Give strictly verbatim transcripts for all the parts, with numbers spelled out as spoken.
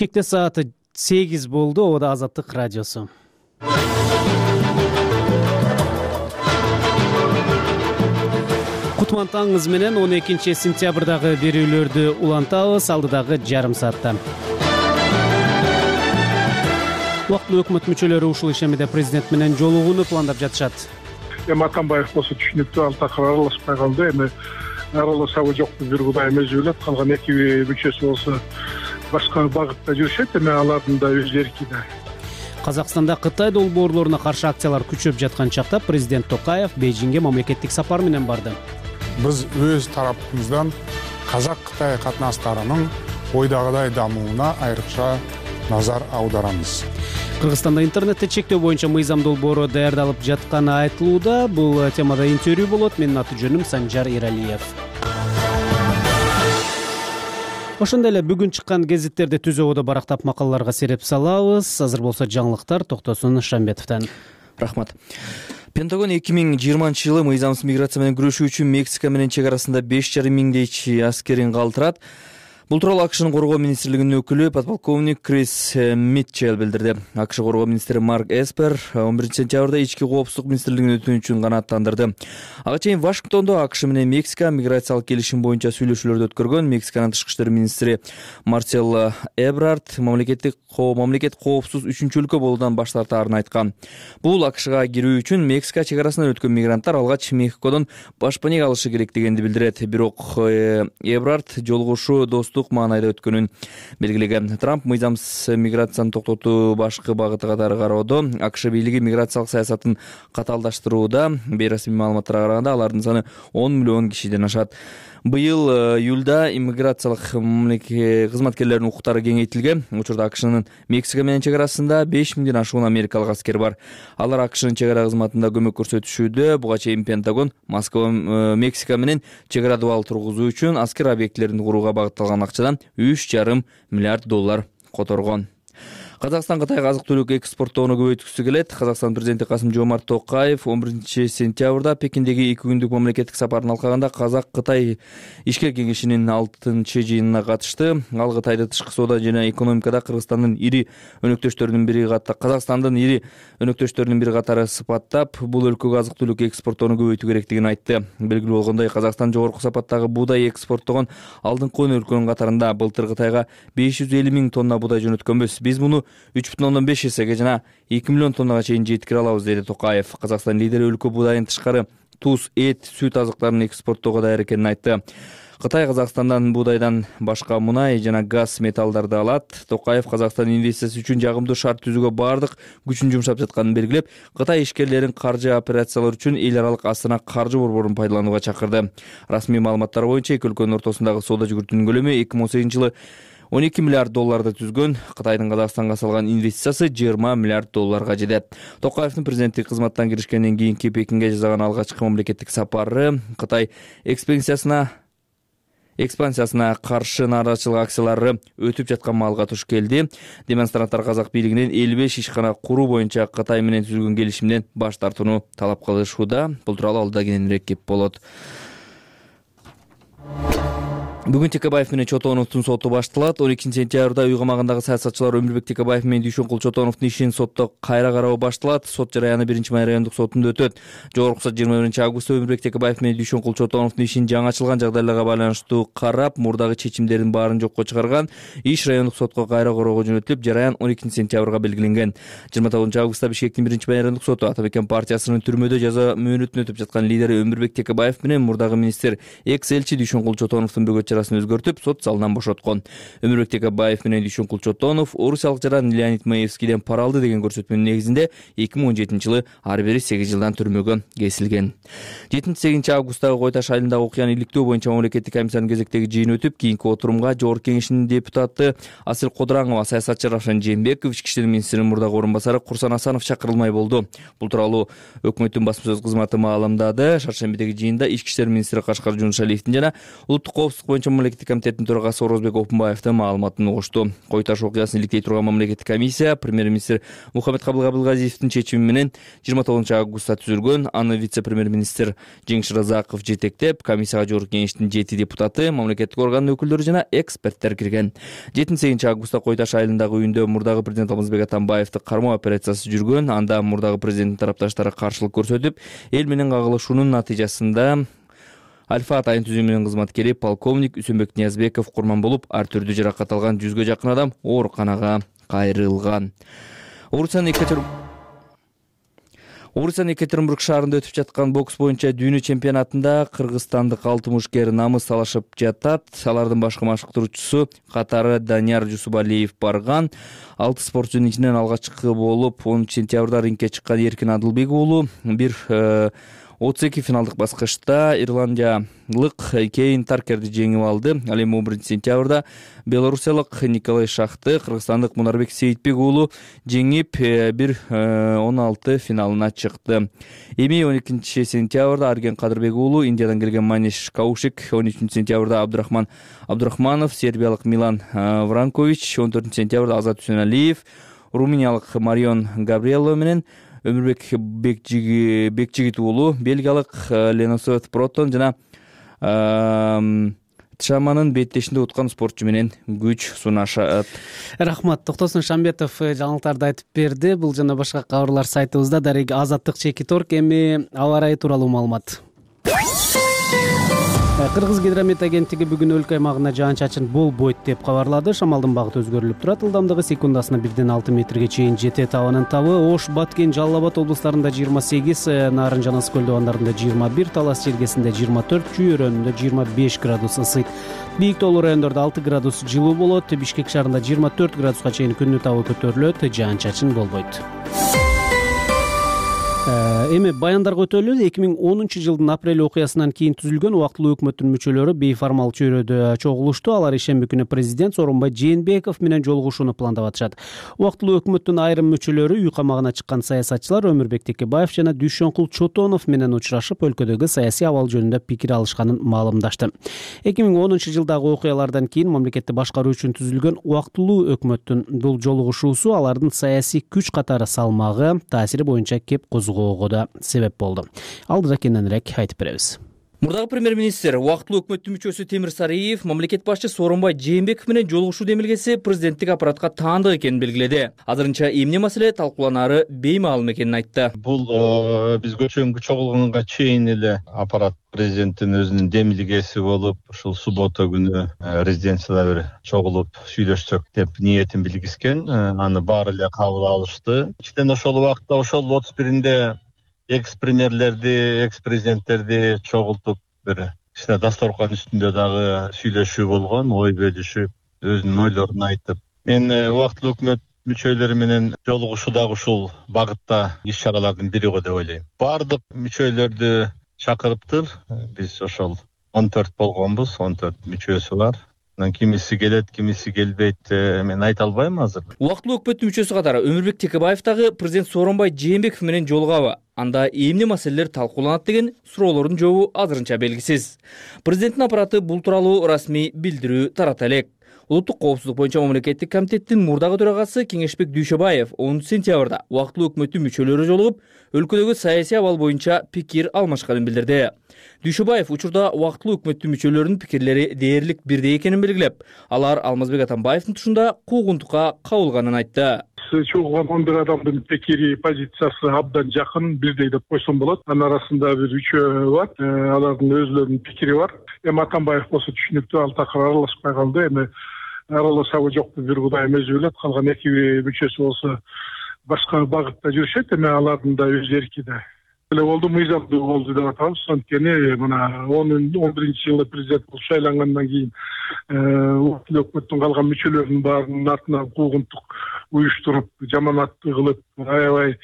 Бишкекте сааты сегиз болду. Обода Азаттык радиосу. Кутман таңыңыз менен он экинчи сентябрдагы берүүлөрдү улантабыз алдыдагы жарым саатта. Убактылуу өкмөт мүчөлөрү ушул ишемиде президент менен жолугууну пландап жатышат. Эми Атамбаев болсо түшүнүктүү, ал такыр аралашпай калды. Эми аралашабы жокпу бир Кудай өзү билет. Калган эки мүчөсү болсо башка багытта жүрүшөт, эми алардын да өз эрки да. Казакстанда Кытай долбоорлоруна каршы акциялар күчөп жаткан чакта президент Токаев Бейжиңге мамлекеттик сапар менен барды. Биз өз тарапыбыздан Казак-Кытай катнаштарынын ойдагыдай дамууна айрыкча назар аударамыз. Кыргызстанда интернетте чектөө боюнча мыйзам долбоору даярдалып жатканы айтылууда. Бул темада интервью болот. Менин аты жөнүм Санжар Иралиев. Ошондой эле бүгүн чыккан гезиттерди түз ободо барактап макалаларга сереп салабыз. Азыр болсо жаңылыктар Токтосун Шамбетовдон. Рахмат. Пентагон эки миң жыйырманчы жылы мыйзамсыз миграция менен күрөшүү үчүн Мексика менен чек арасында беш жарым миңдейчи аскерин калтырат. Бул тууралуу АКШнын коргоо министрлигинин өкүлү подполковник Крис Митчелл билдирди. АКШ коргоо министри Марк Эспер он биринчи сентябрда ички коопсуздук министрлигинин өтүнүчүн канааттандырды. Ага чейин Вашингтондо АКШ менен Мексика миграциялык келишим боюнча сүйлөшүүлөрдү өткөргөн Мексиканын тышкы иштер министри Марсело Эбрард мамлекеттик мамлекет коопсуз үчүнчү өлкө болуудан баш тартаарын айткан. Бул АКШга кирүү үчүн Мексика чек арасынан өткөн мигранттар алгач Мехикодон башпанек алышы керек дегенди билдирет. Бирок Эбрард жолугушуу достук маанайда өткөнүн белгилеген. Трамп мыйзамсыз миграцияны токтотуу башкы багыты катары кароодо. АКШ бийлиги миграциялык саясатын катаалдаштырууда. Бейрасмий маалыматтарга караганда алардын саны он миллион кишиден ашат. Быйыл июлда иммиграциялык кызматкерлердин укуктары кеңейтилген. Учурда АКШнын Мексика менен чек арасында беш миңден ашуун америкалык аскер бар. Алар АКШнын чек ара кызматында көмөк көрсөтүшүүдө. Буга чейин Пентагон Москва Мексика менен чек ара дубал тургузуу үчүн аскер объектилерин курууга багытталган акчадан үч жарым миллиард доллар которгон. Казакстан Кытайга азык-түлүк экспорттоону көбөйткүсү келет. Казакстан президенти Касым-Жомарт Токаев он биринчи сентябрда Пекиндеги эки күндүк мамлекеттик сапарын алкаганда Казак-Кытай ишкер кеңешинин алтынчы жыйынына катышты. Ал Кытайды тышкы соода жана экономикада Кыргызстандын ири өнөктөштөрүнүн бири катары Казакстандын ири өнөктөштөрүнүн бири катары сыпаттап, бул өлкөгө азык-түлүк экспорттоону көбөйтүү керектигин айтты. Белгилүү болгондой, Казакстан жогорку сапаттагы буудай экспорттогон алдыңкы он өлкөнүн катарында. Былтыр Кытайга беш жүз элүү миң тонна буудай жөнөткөнбүз. Биз муну үч бүтүн ондон беш эсеге жана эки миллион тоннага чейин жеткире алабыз, деди Токаев. Казакстан лидери өлкө буудайын тышкары туз, эт, сүт азыктарын экспорттоого даяр экенин айтты. Кытай Казакстандан буудайдан башка мунай жана газ металлдарды алат. Токаев Казакстан инвестициясы үчүн жагымдуу шарт түзүүгө бардык күчүн жумшап жатканын белгилеп, Кытай ишкерлерин каржы операциялары үчүн эл аралык Астана каржы борборун пайдаланууга чакырды. Расмий маалыматтар боюнча эки өлкөнүн ортосундагы соода жүгүртүүнүн көлөмү эки миң он сегизинчи жылы он эки миллиард долларды түзгөн. Кытайдын Казакстанга салган инвестициясы жыйырма миллиард долларга жетет. Токаевдин президенттик кызматтан киришкенден кийинки Пекинге жасаган алгачкы мамлекеттик сапары Кытай экспансиясына экспансиясына каршы нааразычылык акциялары өтүп жаткан маалга туш келди. Демонстранттар казак бийлигинен элүү беш ишкана куруу боюнча Кытай менен түзүлгөн келишимден баш тартууну талап кылышууда. Бул тууралуу алда кененирээк кеп болот. Бүгүн Текебаев менен Чотоновдун соту башталат. он экинчи сентябрда үй камагындагы саясатчылар Өмүрбек Текебаев менен Дүйшөнкул Чотоновдун ишин сотто кайра кароо башталат. Сот жараяны биринчи май райондук сотунда өтөт. Жогорку сот жыйырма биринчи августта Өмүрбек Текебаев менен Дүйшөнкул Чотоновдун ишин жаңы ачылган жагдайларга байланыштуу карап, мурдагы чечимдердин баарын жокко чыгарган. Иш райондук сотко кайра короого жөнөтүлүп, жараян он экинчи сентябрга белгиленген. жыйырма тогузунчу августта Бишкектин биринчи май райондук соту Ата-Бекен партиясынын түрмөдө жаза мөөнөтүн өтүп жаткан лидери Өмүрбек Текебаев менен мурдагы министр экс-элчи Дүйшөнкул Чотоновдун бөгөт чарасын өзгөртүп, сот залынан бошоткон. Өмүрбек Текебаев менен Дүйшөнкул Чотонов орусиялык жаран Леонид Маевскийден пара алды деген көрсөтмөнүн негизинде эки миң он жетинчи жылы ар бири сегиз жылдан түрмөгө кесилген. жетинчи сегизинчи августтагы Кой Таш айылындагы окуяны иликтөө боюнча мамлекеттик комиссиянын кезектеги жыйыны өтүп, кийинки отурумга Жогорку Кеңештин депутаты Асыл Кодураңова, саясатчы Равшан Жээнбеков, ички иштер министринин мурдагы орун басары Курсан Асанов чакырылмай болду. Бул тууралуу өкмөттүн басма сөз кызматы маалымдады. Шаршембидеги жыйында ички иштер министри Кашкар Жунушалиевдин жана улуттук коопсуздук боюнча боюнча мамлекеттик комитеттин төрагасы Орозбек Опунбаев да маалыматын угушту. Кой таш окуясын иликтей турган мамлекеттик комиссия премьер-министр Мухаммедкабыл Абылгазиевдин чечими менен жыйырма тогузунчу августта түзүлгөн. Аны вице-премьер-министр Жеңиш Разаков жетектеп, комиссияга жогорку кеңештин жети депутаты, мамлекеттик органдын өкүлдөрү жана эксперттер кирген. жетинчи сегизинчи августта Кой таш айылындагы үйүндө мурдагы президент Алмазбек Атамбаевди кармоо операциясы жүргөн. Анда мурдагы президенттин тарапташтары каршылык көрсөтүп, эл менен кагылышуунун натыйжасында Альфа атайын түзүмүнүн кызматкери полковник Үсөнбек Ниязбеков курман болуп, ар түрдүү жаракат алган жүзгө жакын адам ооруканага кайрылган. Орусиянын Екатеринбург шаарында өтүп жаткан бокс боюнча дүйнө чемпионатында кыргызстандык алты мушкер намыс талашып жатат. Алардын башкы машыктыруучусу катары Данияр Жусубалиев барган. Алты спортчунун ичинен алгачкы болуп онунчу сентябрда рингке чыккан Эркин Адылбек уулу бир отуз эки финалдык баскычта ирландиялык Кейн Таркерди жеңип алды. Ал эми он биринчи сентябрда белорусиялык Николай Шахты кыргызстандык Мунарбек Сейитбек уулу жеңип бир он алты финалына чыкты. Эми он экинчи сентябрда Арген Кадырбек уулу Индиядан келген Маниш Каушик, он үчүнчү сентябрда Абдурахман Абдурахманов, сербиялык Милан Вранкович, он төртүнчү сентябрда Азат Үсөнәлиев, румыниялык Марион Габриелло менен Өмүрбек Бекжигит уулу бельгиялык Леносет Протон жана Тшаманын беттешинде уткан спортчу менен күч сунашат. Рахмат. Токтосун Шамбетов жаңылыктарды айтып берди. Бул жана башка кабарлар сайтыбызда. Дарек Азаттык Чекиторг. Эми аба ырайы тууралуу маалымат. Кыргыз гидромет агенттиги бүгүн өлкө аймагына жаан-чачын болбойт деп кабарлады. Шамалдын багыты өзгөрүлүп турат. Ылдамдыгы секундасына бирден алты метрге чейин жетет. Абанын табы Ош, Баткен, Жалал Абад облустарында жыйырма сегиз, Нарын жана Ысык көл абандарында жыйырма бир, Талас Чергесинде жыйырма төрт, Чүй өрөөнүндө жыйырма беш градус ысыйт. Бийик тоолуу райондордо алты градус жылуу болот. Бишкек шаарында жыйырма төрт градуска чейин күндүн табы көтөрүлөт. Жаан-чачын болбойт. Эми баяндарга өтөлү. эки миң онунчу жылдын апрель окуясынан кийин түзүлгөн убактылуу өкмөттүн мүчөлөрү бейформал чөйрөдө чогулушту. Алар ишемби күнү президент Сооронбай Жээнбеков менен жолугушууну пландап атышат. Убактылуу өкмөттүн айрым мүчөлөрү үй камагына чыккан саясатчылар Өмүрбек Текебаев жана Дүйшөнкул Чотонов менен учурашып, өлкөдөгү саясий абал жөнүндө пикир алышканын маалымдашты. эки миң онунчу жылдагы окуялардан кийин мамлекетти башкаруу үчүн түзүлгөн убактылуу өкмөттүн бул жолугушуусу алардын саясий күч катары салмагы, таасири боюнча кеп козгоого да себеп болду. Алдыда кененирээк айтып беребиз. Мурдагы премьер-министр убактылуу өкмөттүн мүчөсү Темир Сариев мамлекет башчы Сооронбай Жээнбеков менен жолугушуу демилгеси президенттик аппаратка таандык экенин белгиледи. Азырынча эмне маселе талкууланары беймаалым экенин айтты. Бул биз көчөнгө чогулганга чейин эле аппарат президенттин өзүнүн демилгеси болуп, ушул суббота күнү резиденцияда бир чогулуп сүйлөшсөк деп ниетин билгизген. Аны баары эле кабыл алышты. Ичинен ошол убакта ошол отуз биринде экс-премьерлерди, экс-президенттерди чогултуп бир кичине дасторкон үстүндө дагы сүйлөшүү болгон, ой бөлүшүп, өзүнүн ойлорун айтып. Мен убактылуу өкмөт мүчөлөрү менен жолугушуу дагы ушул багытта иш-чаралардын бири го деп ойлойм. Бардык мүчөлөрдү чакырыптыр. Биз ошол он төрт болгонбуз, он төрт мүчөсү бар. Кимиси келет, кимиси келбейт, мен айта албайм азыр. Убактылуу өкмөттүн мүчөсү катары Өмүрбек Текебаев дагы президент Сооронбай Жээнбеков менен жолугабы, анда эмне маселелер талкууланат деген суроолордун жообу азырынча белгисиз. Президенттин аппараты бул тууралуу расмий билдирүү тарата элек. Улуттук коопсуздук боюнча мамлекеттик комитеттин мурдагы төрагасы Кеңешбек Дүйшөбаев онунчу сентябрда убактылуу өкмөттүн мүчөлөрү жолугуп, өлкөдөгү саясий абал боюнча пикир алмашканын билдирди. Дүйшөбаев учурда убактылуу өкмөттүн мүчөлөрүнүн пикирлери дээрлик бирдей экенин белгилеп, алар Алмазбек Атамбаевдин тушунда куугунтукка кабылганын айтты. Чогулган он бир адамдын пикири, позициясы абдан жакын, бирдей деп койсом болот. Анын арасында бир үчөө бар, алардын өзлөрүнүн пикири бар. Эми Атамбаев болсо түшүнүктүү, ал такыр аралашпай калды. Эми аралашабы жокпу бир Кудайым өзү билет. Калган эки мүчөсү болсо башка багытта жүрүшөт, эми алардын да өз эркиде. Эле болду, мыйзамдуу болду деп атабыз. Анткени мына он биринчи жылы президент болуп шайлангандан кийин убактылуу өкмөттүн калган мүчөлөрүнүн баарынын артынан куугунтук уюштуруп, жаманатты кылып, аябай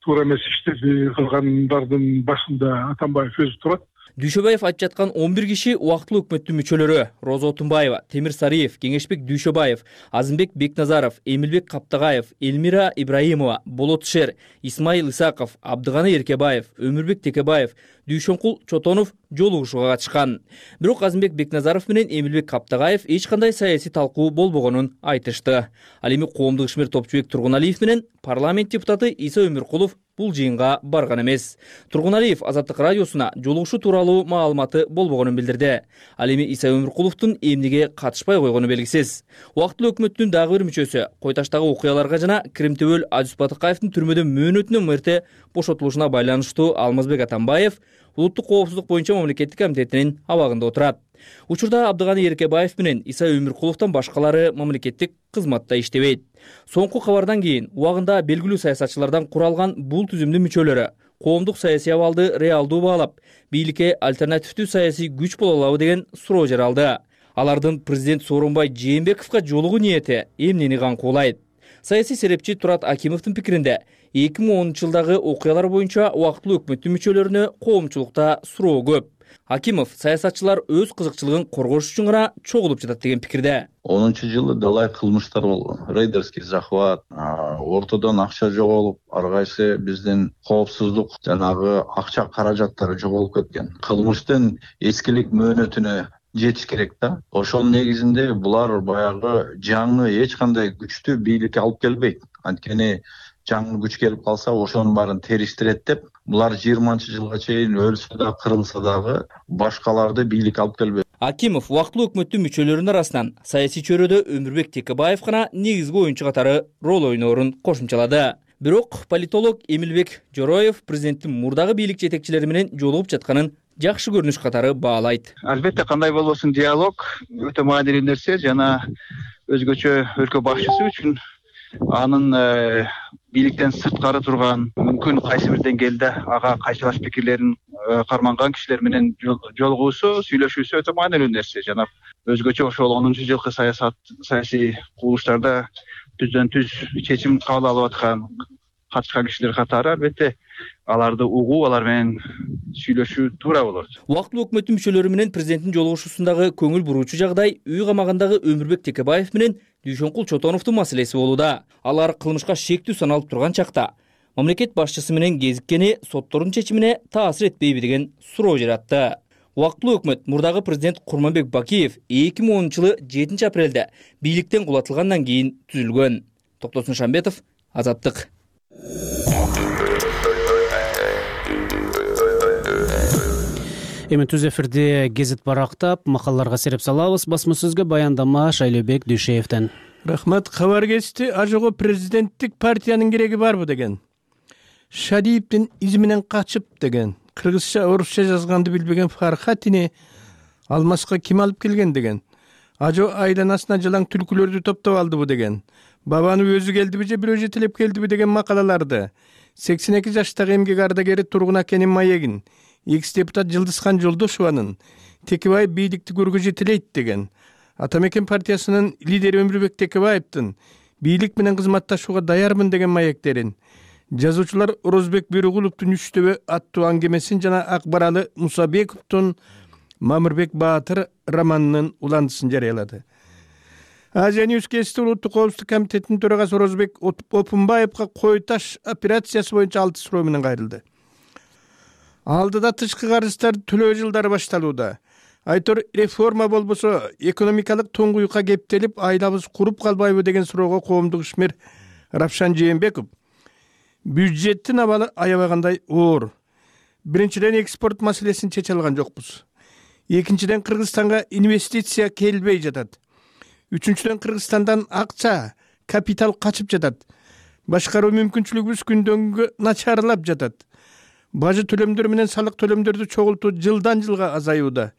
туура эмес иштерди кылгандардын башында Атамбаев өзү турат. Дүйшөбаев айтып жаткан он бир киши убактылуу өкмөттүн мүчөлөрү: Роза Отунбаева, Темир Сариев, Кеңешбек Дүйшөбаев, Азымбек Бекназаров, Эмилбек Каптагаев, Элмира Ибраимова, Болот Шер, Исмаил Исаков, Абдыганы Эркебаев, Өмүрбек Текебаев, Дүйшөнкул Чотонов жолугушууга катышкан. Бирок Азымбек Бекназаров менен Эмилбек Каптагаев эч кандай саясий талкуу болбогонун айтышты. Ал эми коомдук ишмер Топчубек Тургуналиев менен парламент депутаты Иса Өмүркулов бул жыйынга барган эмес. Тургуналиев Азаттык радиосуна жолугушуу тууралуу маалыматы болбогонун билдирди. Ал эми Иса Өмүркуловдун эмнеге катышпай койгону белгисиз. Убактылуу өкмөттүн дагы бир мүчөсү Койташтагы окуяларга жана Кремтөбөл Азиз Батыкаевдин түрмөдө мөөнөтүнөн мырте бошотулушуна байланыштуу Алмазбек Атамбаев улуттук коопсуздук боюнча мамлекеттик комитетинин абагында отурат. Учурда Абдыганы Эркебаев менен Иса Өмүркуловдон башкалары мамлекеттик кызматта иштебейт. Соңку кабардан кийин убагында белгилүү саясатчылардан куралган бул түзүмдүн мүчөлөрү коомдук саясий абалды реалдуу баалап, бийликке альтернативдүү саясий күч боло алабы деген суроо жаралды. Алардын президент Сооронбай Жээнбековго жолугуу ниети эмнени каңкуулайт? Саясий серепчи Турат Акимовдун пикиринде эки миң онунчу жылдагы окуялар боюнча убактылуу өкмөттүн мүчөлөрүнө коомчулукта суроо көп. Акимов саясатчылар өз кызыкчылыгын коргош үчүн гана чогулуп жатат деген пикирде. онунчу жылы далай кылмыштар болгон. Рейдерский захват, ортодон акча жоголуп, ар кайсы биздин коопсуздук жанагы акча каражаттары жоголуп кеткен. Кылмыштын эскилик мөөнөтүнө жетиш керек да. Ошонун негизинде булар баягы жаңы эч кандай күчтү бийликке алып келбейт. Анткени жаңы күч келип калса ошонун баарын териштирет деп, булар жыйырманчы жылга чейин өлсө да, кырылса дагы башкаларды бийликке алып келбейт. Акимов убактылуу өкмөттүн мүчөлөрүнүн арасынан саясий чөйрөдө Өмүрбек Текебаев гана негизги оюнчу катары роль ойноорун кошумчалады. Бирок политолог Эмилбек Жороев президенттин мурдагы бийлик жетекчилери менен жолугуп жатканын жакшы көрүнүш катары баалайт. Албетте, кандай болбосун, диалог өтө маанилүү нерсе жана өзгөчө өлкө башчысы үчүн анын бийликтен сырткары турган, мүмкүн кайсы бир деңгээлде ага кайшылаш пикирлерин карманган кишилер менен жолугуусу, сүйлөшүүсү өтө маанилүү нерсе. Жана өзгөчө ошол онунчу жылкы саясат саясий курулуштарда түздөн түз чечим кабыл алып аткан катышкан кишилер катары албетте аларды угуу, алар менен сүйлөшүү туура болот. Убактылуу өкмөттүн мүчөлөрү менен президенттин жолугушуусундагы көңүл буруучу жагдай үй камагындагы Өмүрбек Текебаев менен Дүйшөнкул Чотоновдун маселеси болууда. Алар кылмышка шектүү саналып турган чакта мамлекет башчысы менен кезиккени соттордун чечимине таасир этпейби деген суроо жаратты. Убактылуу өкмөт мурдагы президент Курманбек Бакиев эки миң онунчу жылы жетинчи апрелде бийликтен кулатылгандан кийин түзүлгөн. Токтосун Шамбетов, Азаттык. Эми түз эфирде гезит барактап, макалаларга сереп салабыз. Басма сөзгө баяндама Шайлообек Дүйшеевден. Рахмат. Кабар кетти. Ажого президенттик партиянын кереги барбы деген. Шадиевдин изи менен качып деген. Кыргызча, орусча жазганды билбеген Фархатини Алмаска ким алып келген деген. Ажо айланасына жылаң түлкүлөрдү топтоп алдыбы деген. Бабаны өзү келдиби же бирөө жетелеп келдиби деген макалаларды сексен эки жаштагы эмгек ардагери Тургун Акенин маегин экс-депутат Жылдызхан Жолдошованын Текебаев бийликти көргө жетелейт деген. Атамекен партиясынын лидери Өмүрбек Текебаевдин бийлик менен кызматташууга даярмын деген маектерин, жазуучулар Орозбек Бөрөгуловдун Үчтөбө аттуу аңгемесин жана Акбаралы Мусабековдун Мамырбек Баатыр романынын уландысын жарыялады. Азия Ньюс Кести улуттук коопсуздук комитетинин төрагасы Орозбек Опунбаевга Кой таш операциясы боюнча алты суроо менен кайрылды. Алдыда тышкы карыздарды төлөө жылдары башталууда. Айтор реформа болбосо экономикалык туңгуюкка кептелип, айлабыз куруп калбайбы деген суроого коомдук ишмер Рапшан Жээнбеков бюджеттин абалы аябагандай оор. Биринчиден экспорт маселесин чече алган жокпуз. Экинчиден Кыргызстанга инвестиция келбей жатат. Үчүнчүдөн Кыргызстандан акча, капитал качып жатат. Башкаруу мүмкүнчүлүгүбүз күндөн күнгө начарлап жатат. Бажы төлөмдөр менен салык төлөмдөрдү чогултуу жылдан жылга азаюуда.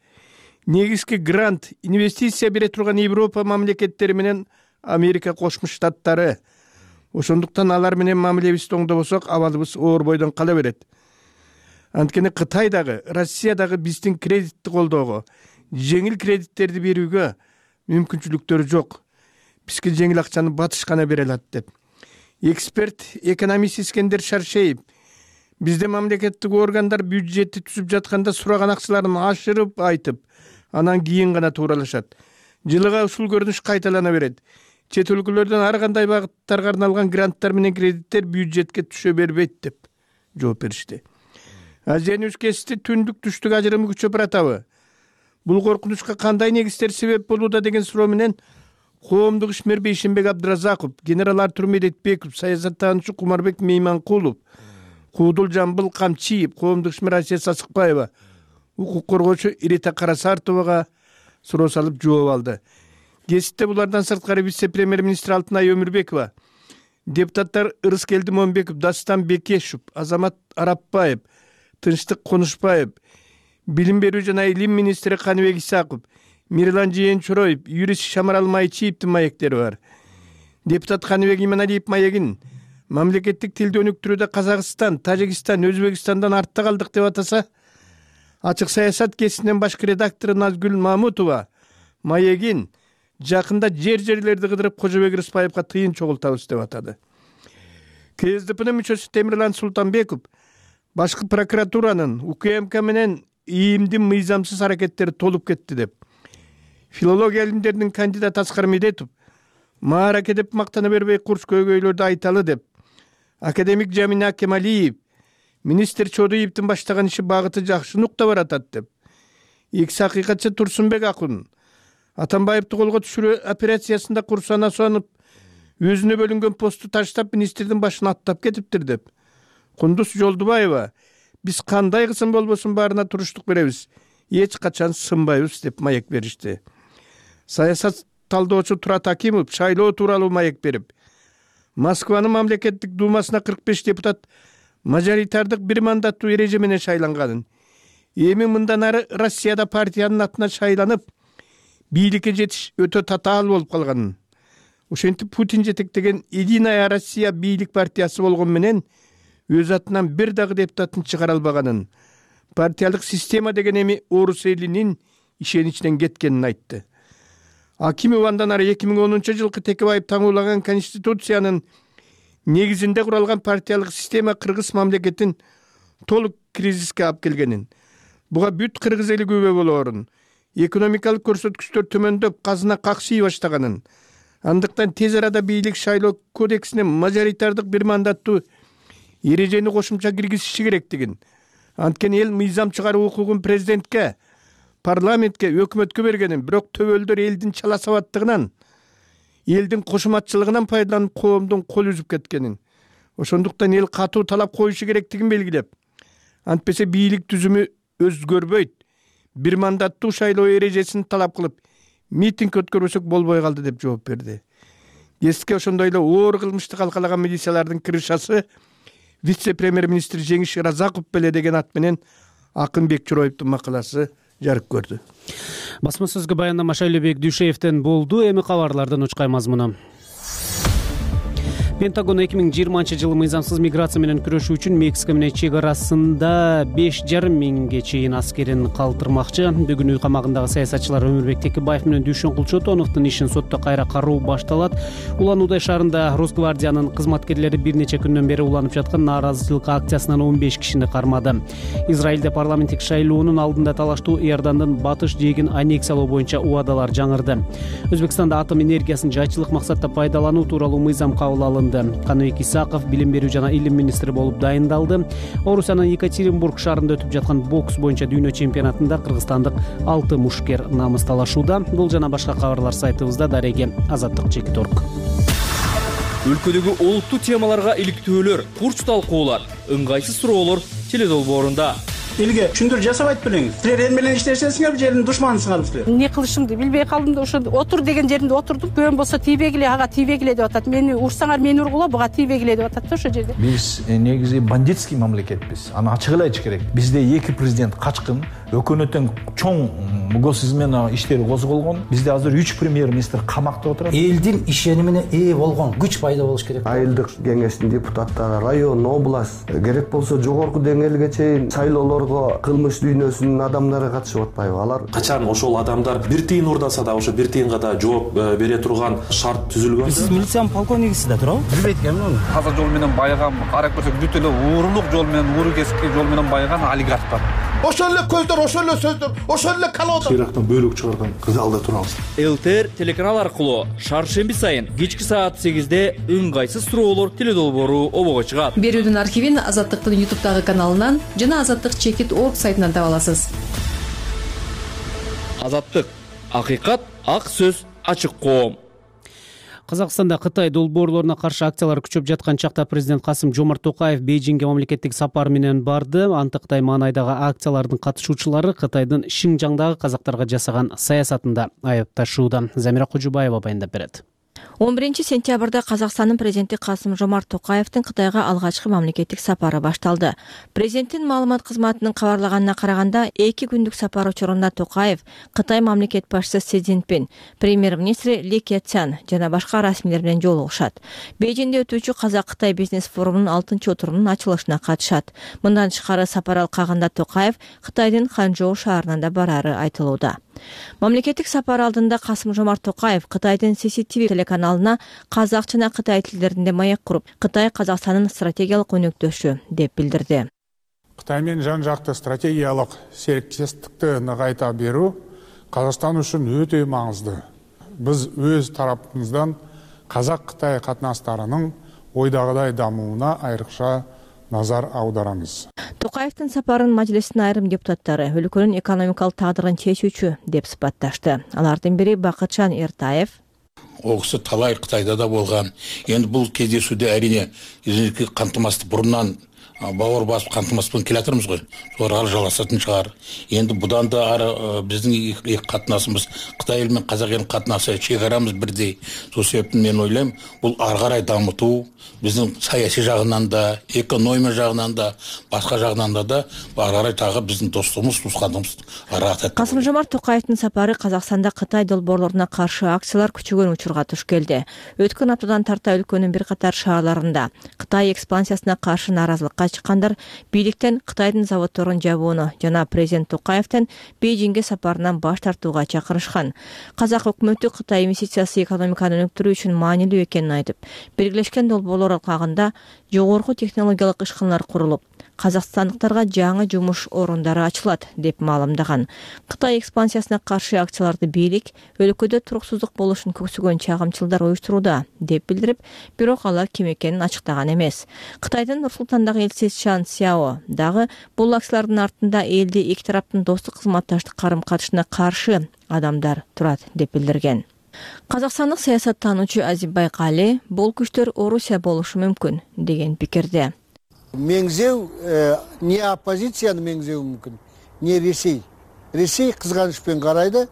Негизги грант, инвестиция бере турган Европа мамлекеттери менен Америка Кошмо Штаттары. Ошондуктан алар менен мамилебизди оңдобосок, абалыбыз оор бойдон кала берет. Анткени Кытай дагы, Россия дагы биздин кредитти колдоого, жеңил кредиттерди берүүгө мүмкүнчүлүктөрү жок. Бизге жеңил акчаны батыш гана бере алат деп. Эксперт, экономист Искендер Шаршеев Бизде мамлекеттик органдар бюджетти түзүп жатканда сураган акчаларын ашырып айтып, анан кийин гана тууралашат. Жылыга ушул көрүнүш кайталана берет. Чет өлкөлөрдөн ар кандай багыттарга арналган гранттар менен кредиттер бюджетке түшө бербейт деп жооп беришти. Азиянын өлкөсүндө түндүк түштүк ажырымы күчөп баратабы? Бул коркунучка кандай негиздер себеп болууда деген суроо менен коомдук ишмер Бейшенбек Абдыразаков, генерал Артур Медетбеков, саясаттануучу Кумарбек Мейманкулов, Куудул Жамбыл Камчиев, коомдук ишмер Асия Сасыкбаева, укук коргоочу Ирита Карасартовага суроо салып жооп алды. Кесипте булардан сырткары вице-премьер-министр Алтынай Өмүрбекова, депутаттар Ырыскелди Момбеков, Дастан Бекешев, Азамат Арапбаев, Тынчтык Конушбаев, билим берүү жана илим министри Каныбек Исаков, Мирлан Жээнчороев, юрист Шамарал Майчиевдин маектери бар. Депутат Каныбек Иманалиев маегин мамлекеттик тилди өнүктүрүүдө Казакстан, Тажикстан, Өзбекстандан артта калдык деп атаса, Ачык саясат кесинин башкы редактору Назгүл Мамутова маегин жакында жер-жерлерди кыдырып Кожобек Рыспаевга тыйын чогултабыз деп атады. КСДПнын мүчөсү Темирлан Султанбеков башкы прокуратуранын УКМК менен ийимдин мыйзамсыз аракеттери толуп кетти деп. Филология илимдеринин кандидаты Аскар Медетов маараке деп мактана бербей курс көйгөйлөрдү айталы деп. Академик Жамина Кемалиев министр Чодуевдин баштаган иши багыты жакшы нукта баратат деп. Экс акыйкатчы Турсунбек Акун Атамбаевди колго түшүрүү операциясында курсана сонуп, өзүнө бөлүнгөн посту таштап министрдин башына аттап кетиптир деп. Кундуз Жолдубаева биз кандай кысым болбосун баарына туруштук беребиз, эч качан сынбайбыз деп маек беришти. Саясат талдоочу Турат Акимов шайлоо тууралуу маек берип, Москванын мамлекеттик думасына кырк беш депутат мажоритардык бир мандаттуу эреже менен шайланганын, эми мындан ары Россияда партиянын атына шайланып, бийликке жетиш өтө татаал болуп калганын, ошентип Путин жетектеген Единая Россия бийлик партиясы болгон менен өз атынан бир дагы депутатын чыгара албаганын, партиялык система деген эми орус элинин ишеничинен кеткенин айтты. Акимов андан ары эки миң онунчу жылкы Текебаев таңуулаган конституциянын негизинде куралган партиялык система кыргыз мамлекетин толук кризиске алып келгенин, буга бүт кыргыз эли күбө болоорун, экономикалык көрсөткүчтөр төмөндөп, казына каксый баштаганын, андыктан тез арада бийлик шайлоо кодексине мажоритардык бир мандаттуу эрежени кошумча киргизиши керектигин, анткени эл мыйзам чыгаруу укугун президентке, парламентке, өкмөткө бергенин, бирок төбөлдөр элдин чала сабаттыгынан, элдин кошуматчылыгынан пайдаланып коомдун кол үзүп кеткенин, ошондуктан эл катуу талап коюшу керектигин белгилеп, антпесе бийлик түзүмү өзгөрбөйт, бир мандаттуу шайлоо эрежесин талап кылып, митинг өткөрбөсөк болбой калды деп жооп берди. Кесипке ошондой эле оор кылмышты калкалаган милициялардын крышасы вице-премьер-министр Жеңиш Разаков беле деген ат менен Акын Бекчороевдун макаласы жарык көрдү. Басма сөзгө баяндама Шайлообек Дүйшеевден болду. Эми кабарлардын учкай мазмуну. Пентагон эки миң жыйырманчы жылы мыйзамсыз миграция менен күрөшүү үчүн Мексика менен чек арасында беш жарым миңге чейин аскерин калтырмакчы. Бүгүн үй камагындагы саясатчылар Өмүрбек Текебаев менен Дүйшөн Кулчотоновдун ишин сотто кайра кароо башталат. Улан Удай шаарында Росгвардиянын кызматкерлери бир нече күндөн бери уланып жаткан нааразычылык акциясынан он беш кишини кармады. Израилде парламенттик шайлоонун алдында талаштуу Иордандын батыш жээгин аннексиялоо боюнча убадалар жаңырды. Өзбекстанда атом энергиясын жайчылык максатта пайдалануу тууралуу мыйзам кабыл алынды. Каныбек Исаков билим берүү жана илим министри болуп дайындалды. Орусиянын Екатеринбург шаарында өтүп жаткан бокс боюнча дүйнө чемпионатында кыргызстандык алты мушкер намыс талашууда. Бул жана башка кабарлар сайтыбызда. Дареге Азаттык Чекит орг. Өлкөдөгү олуттуу темаларга иликтөөлөр, курч талкуулар, ыңгайсыз суроолор теледолбоорунда. Элге түшүндүрүү жасабайт белеңиз. Силер эл менен иштешесиңер, жердин душманысыңар силер. Эмне кылышымды билбей калдым да ошо отур деген жеринде отурдум. Көөм болсо тийбегиле, ага тийбегиле деп атат. Мени урсаңар мени ургула, буга тийбегиле деп атат да ошо жерде. Биз негизи бандитский мамлекетпиз. Аны ачык эле айтыш керек. Бизде эки президент качкын, өкмөттүн чоң гос измена иштери козголгон. Бизде азыр үч премьер-министр камакта отурат. Элдин ишенимине ээ болгон күч пайда болуш керек. Айылдык кеңештин депутаттары, район, область, керек болсо жогорку деңгээлге чейин шайлоолорго кылмыш дүйнөсүнүн адамдары катышып атпайбы? Алар качан ошол адамдар бир тыйын урдаса да ошо бир тыйынга да жооп бере турган шарт түзүлгөн. Сиз милициянын полковнигисиз да туурабы? Билбейт экенмин аны. Таза жол менен байыган, карап көрсөк бүт эле уурулук жол менен, ууру кесипки жол менен байыган олигарх бар. Ошол эле көздөр, ошол эле сөздөр, ошол эле калоодор. Ирактан бөлүк чыгарган залда турабыз. ЛТР телеканал аркылуу шаршемби сайын кечки саат сегизде ыңгайсыз суроолор теле долбоору обого чыгат. Берүүдүн архивин Азаттыктын ютубтагы каналынан жана Азаттык чекит точка орг сайтынан таба аласыз. Азаттык, акыйкат, ак сөз, ачык коом. Казакстанда Кытай долбоорлоруна каршы акциялар күчөп жаткан чакта президент Касым Жомарт Токаев Бейжиңге мамлекеттик сапар менен барды. Антыктай маанайдагы акциялардын катышуучулары Кытайдын Шинжаңдагы казактарга жасаган саясатында айыпташууда. Замира Кожубаева баяндап берет. он биринчи сентябрда Казакстандын президенти Касым Жомарт Токаевдин Кытайга алгачкы мамлекеттик сапары башталды. Президенттин маалымат кызматынын кабарлаганына караганда, эки күндүк сапар учурунда Токаев Кытай мамлекет башчысы Си Цзиньпин, премьер-министри Ли Кэцян жана башка расмийлер менен жолугушат. Бейжиңде өтүүчү Казак-Кытай бизнес форумунун алтынчы отурумунун ачылышына катышат. Мындан тышкары сапар алкагында Токаев Кытайдын Ханчжоу шаарына да барары айтылууда. Мамлекеттик сапар алдында Касым Жомарт Токаев Кытайдын Си Си Ти Ви телеканалына казак жана кытай тилдеринде маек куруп, Кытай Казакстандын стратегиялык өнөктөшү деп билдирди. Кытай менен жан жакты стратегиялык сериктештикти нығайта берүү Казакстан үчүн өтө маңызды. Биз өз тарапыбыздан Казак-Кытай катнашмаларынын ойдагыдай дамууна айрыкча назар аударамыз. Токаевдин сапарын мажлистин айрым депутаттары өлкөнүн экономикалык тагдырын чечүүчү деп сыпатташты. Алардын бири Бакытжан Эртаев. Ол киши талай Кытайда да болгон. Энд бул кездесүүдө әрине кантымастык бурунан бауыр басып кантымаспен келатырмыз ғой. Ары жаласатын шығар. Енді бұдан да ары біздің екі қатынасымыз Қытай елі мен Қазақ елінің қатынасы шекарамыз бірдей. Сол себептен мен ойлаймын, бұл ары қарай дамыту біздің саяси жағынан да, экономия жағынан да, басқа жағынан да да ары қарай тағы біздің достығымыз, туысқандығымыз ары атат. Касым Жомарт Токаевдин сапары Казакстанда Кытай долбоорлоруна каршы акциялар күчөгөн учурга туш келди. Өткөн аптадан тарта өлкөнүн бир катар шаарларында Кытай экспансиясына каршы нааразылыкка чыккандар бийликтен Кытайдын заводдорун жабууну жана президент Токаевдин Бейжиңге сапарынан баш тартууга чакырышкан. Казак өкмөтү Кытай инвестициясы экономиканы өнүктүрүү үчүн маанилүү экенин айтып, биргелешкен долбоорлор алкагында жогорку технологиялык ишканалар курулуп, казакстандыктарга жаңы жумуш орундары ачылат деп маалымдаган. Кытай экспансиясына каршы акцияларды бийлик өлкөдө туруксуздук болушун көксөгөн чагымчылдар уюштурууда деп билдирип, бирок алар ким экенин ачыктаган эмес. Кытайдын Нур-Султандагы элчиси Чан Сяо дагы бул акциялардын артында элди эки тараптын достук кызматташтык карым-катышына каршы адамдар турат деп билдирген. Казакстандык саясаттануучу Азимбай Кали бул күчтөр Орусия болушу мүмкүн деген пикирде. Меңзеу не оппозицияны меңзеу мүмкүн, не Ресей. Ресей кызганычпен карайды,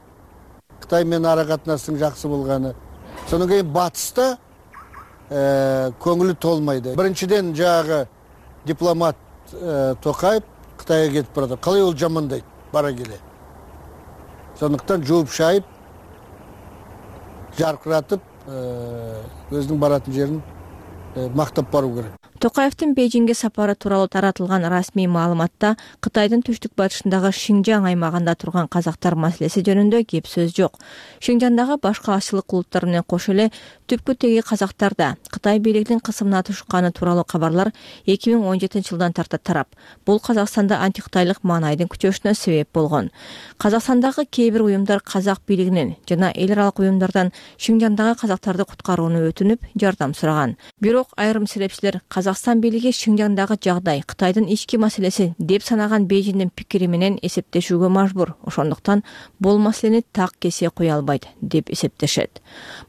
Кытай менен ара катнаштын жакшы болганы. Сонун кийин батышта көңүлү толмайды. Биринчиден жагы дипломат Токаев Кытайга кетип барат. Калай ол жамандайт бара келе. Сондуктан жууп шайып, жаркыратып, өзүнүн баратын жерин мактап баруу керек. Токаевдин Бейжиңге сапары тууралуу таратылган расмий маалыматта Кытайдын түштүк батышындагы Шинжаң аймагында турган казактар маселеси жөнүндө кеп сөз жок. Шинжаңдагы башка ашчылык улуттар менен кошо эле түпкү теги казактарда Кытай бийлигинин кысымына түшканы тууралуу кабарлар эки миң он жетинчи жылдан тарта тарап. Бул Казакстанда антикытайлык маанайдын күчөшүнө себеп болгон. Казакстандагы кээ бир уюмдар казак бийлигинен жана эл аралык уюмдардан Шинжаңдагы казактарды куткарууну өтүнүп, жардам сураган. Бирок айрым серепчилер Казакстан бийлиги Шинжаңдагы жагдай Кытайдын ички маселеси деп санаган Бейжиңдин пикири менен эсептешүүгө мажбур. Ошондуктан бул маселени так кесе кое албайт деп эсептешет.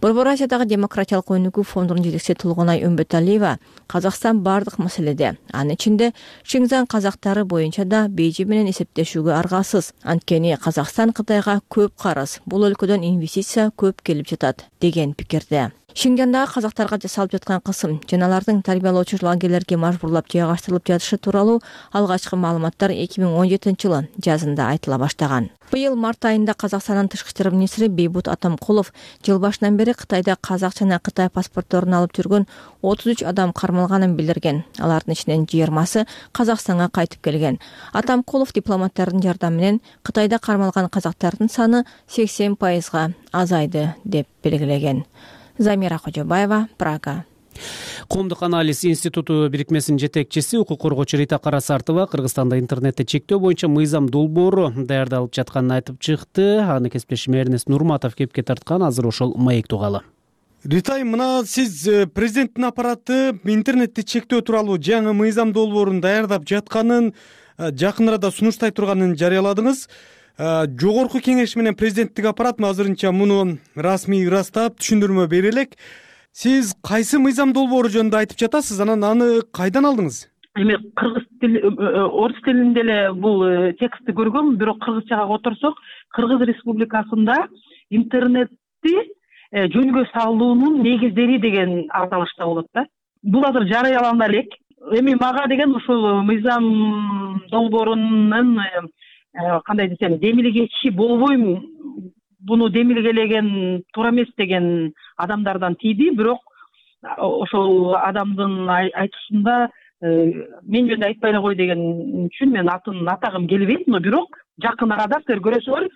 Борбор Азиядагы демократиялык өнүгүү фондунун жетекчиси Тулгунай Өмбөталиева Казакстан бардык маселеде, анын ичинде Шинжаң казактары боюнча да Бейжиң менен эсептешүүгө аргасыз. Анткени Казакстан Кытайга көп карыз, бул өлкөдөн инвестиция көп келип жатат деген пикирде. Шинжаңдагы казактарга жасалып жаткан кысым жана алардын тарбиялоочу лагерлерге мажбурлап жайгаштырылып жатышы тууралуу алгачкы маалыматтар эки миң он жетинчи жылы жазында айтыла баштаган. Быйыл март айында Казакстандын тышкы иштер министри Бейбут Атамкулов жыл башынан бери Кытайда казак жана Кытай паспортторун алып жүргөн отуз үч адам кармалганын билдирген. Алардын ичинен жыйырмасы Казакстанга кайтып келген. Атамкулов дипломаттардын жардамы менен Кытайда кармалган казактардын саны сексен пайызга азайды деп белгилеген. Замира Кожобаева, Прага. Коомдук анализ институту бирикмесинин жетекчиси укук коргоочу Рита Карасартова Кыргызстанда интернетти чектөө боюнча мыйзам долбоору даярдалып жатканын айтып чыкты. Аны кесиптешим Эрнест Нурматов кепке тарткан. Азыр ошол маек тугалы. Ритай, мына сиз президенттин аппараты интернетти чектөө тууралуу жаңы мыйзам долбоорун даярдап жатканын, жакын арада сунуштай турганын жарыяладыңыз. Жогорку кеңеш менен президенттик аппарат азырынча муну расмий ырастап түшүндүрмө бере элек. Сиз кайсы мыйзам долбоору жөнүндө айтып жатасыз, анан аны кайдан алдыңыз? Эми кыргыз тили, орус тилинде эле бул текстти көргөм, бирок кыргызчага которсок, Кыргыз Республикасында интернетти жөнгө салуунун негиздери деген аталышта болот да. Бул азыр жарыялана элек. Эми мага деген ушул мыйзам долбоорунун кандай десем, демилгечи болбойм, буну демилгелеген туура эмес деген адамдардан тийди, бирок ошол адамдын айтышында мен жөнүндө айтпай эле кой деген үчүн мен атын атагым келбейт, но бирок жакын арада силер көрөсүңөр,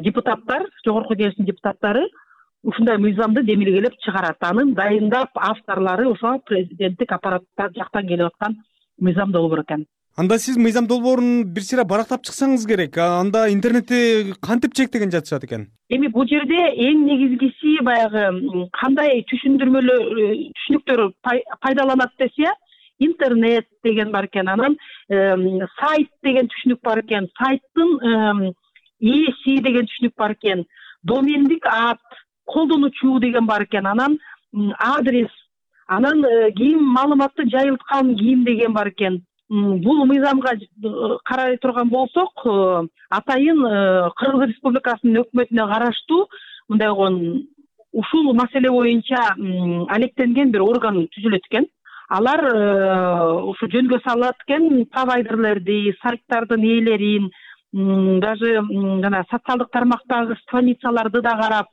депутаттар, жогорку кеңештин депутаттары ушундай мыйзамды демилгелеп чыгарат. Анын дайындап авторлору ошо президенттик аппараттар жактан келип аткан мыйзам долбоор экен. Анда сиз мыйзам долбоорун бир сыйра барактап чыксаңыз керек. Анда интернетти кантип чектеген жатышат экен? Эми бул жерде эң негизгиси баягы кандай түшүндүрмөлөр, түшүнүктөр пайдаланат десе, интернет деген бар экен, анан сайт деген түшүнүк бар экен, сайттын ээси деген түшүнүк бар экен, домендик ат, колдонуучу деген бар экен, анан адрес, анан кийин маалыматты жайылткан ким деген бар экен. Бул мыйзамга карай турган болсок, атайын Кыргыз Республикасынын өкмөтүнө караштуу мындай болгон ушул маселе боюнча алектенген бир орган түзүлөт экен. Алар ушу жөнгө салат экен провайдерлерди, сайттардын ээлерин, даже жана социалдык тармактагы страницаларды да карап,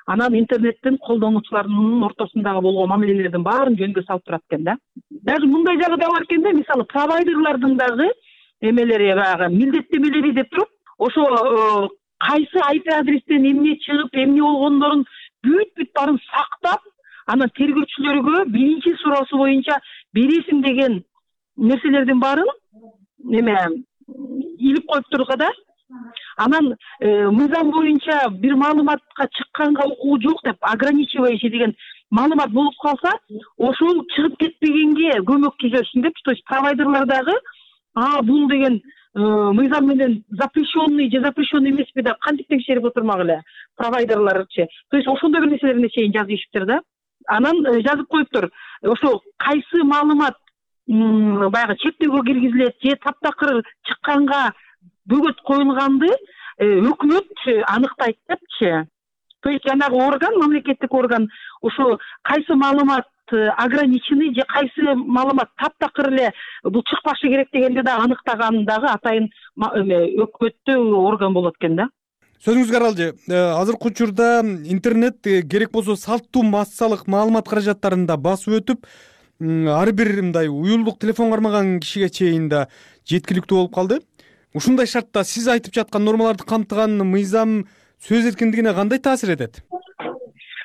анан интернеттин колдонуучуларынын ортосундагы болгон мамилелердин баарын жөнгө салып турат экен да. Даже мындай жагы да бар экен да, мисалы провайдерлардын дагы эмелери баягы милдеттемелери деп туруп, ошо кайсы ай пи адрестен эмне чыгып, эмне болгондорун бүт-бүт баарын сактап, анан тергөөчүлөргө биринчи суроосу боюнча бересиң деген нерселердин баарын эме илип коюп турга да. Анан мыйзам боюнча бир маалыматка чыкканга укугу жок деп ограничивающий деген маалымат болуп калса, ошол чыгып кетпегенге көмөктөшсүн деп, то есть провайдерлар дагы а бул деген мыйзам менен запрещенный же запрещенный эмеспи деп кантип текшерип отурмак эле провайдерларчы. То есть ошондой бир нерселерине чейин жазып ийишиптир да. Анан жазып коюптур, ошо кайсы маалымат баягы чектөөгө киргизилет же таптакыр чыкканга бөгөт коюлганды өкмөт аныктайт депчи. То есть жанагы орган, мамлекеттик орган ошо кайсы маалымат ограниченный же кайсы маалымат таптакыр эле бул чыкпашы керек дегенди да аныктаган дагы атайын өкмөттүү орган болот экен да. Сөзүңүзгө аралжы, азыркы учурда интернет керек болсо салттуу массалык маалымат каражаттарында басып өтүп, ар бир мындай уюлдук телефон кармаган кишиге чейин да жеткиликтүү болуп калды. Ушундай шартта сиз айтып жаткан нормаларды камтыган мыйзам сөз эркиндигине кандай таасир этет?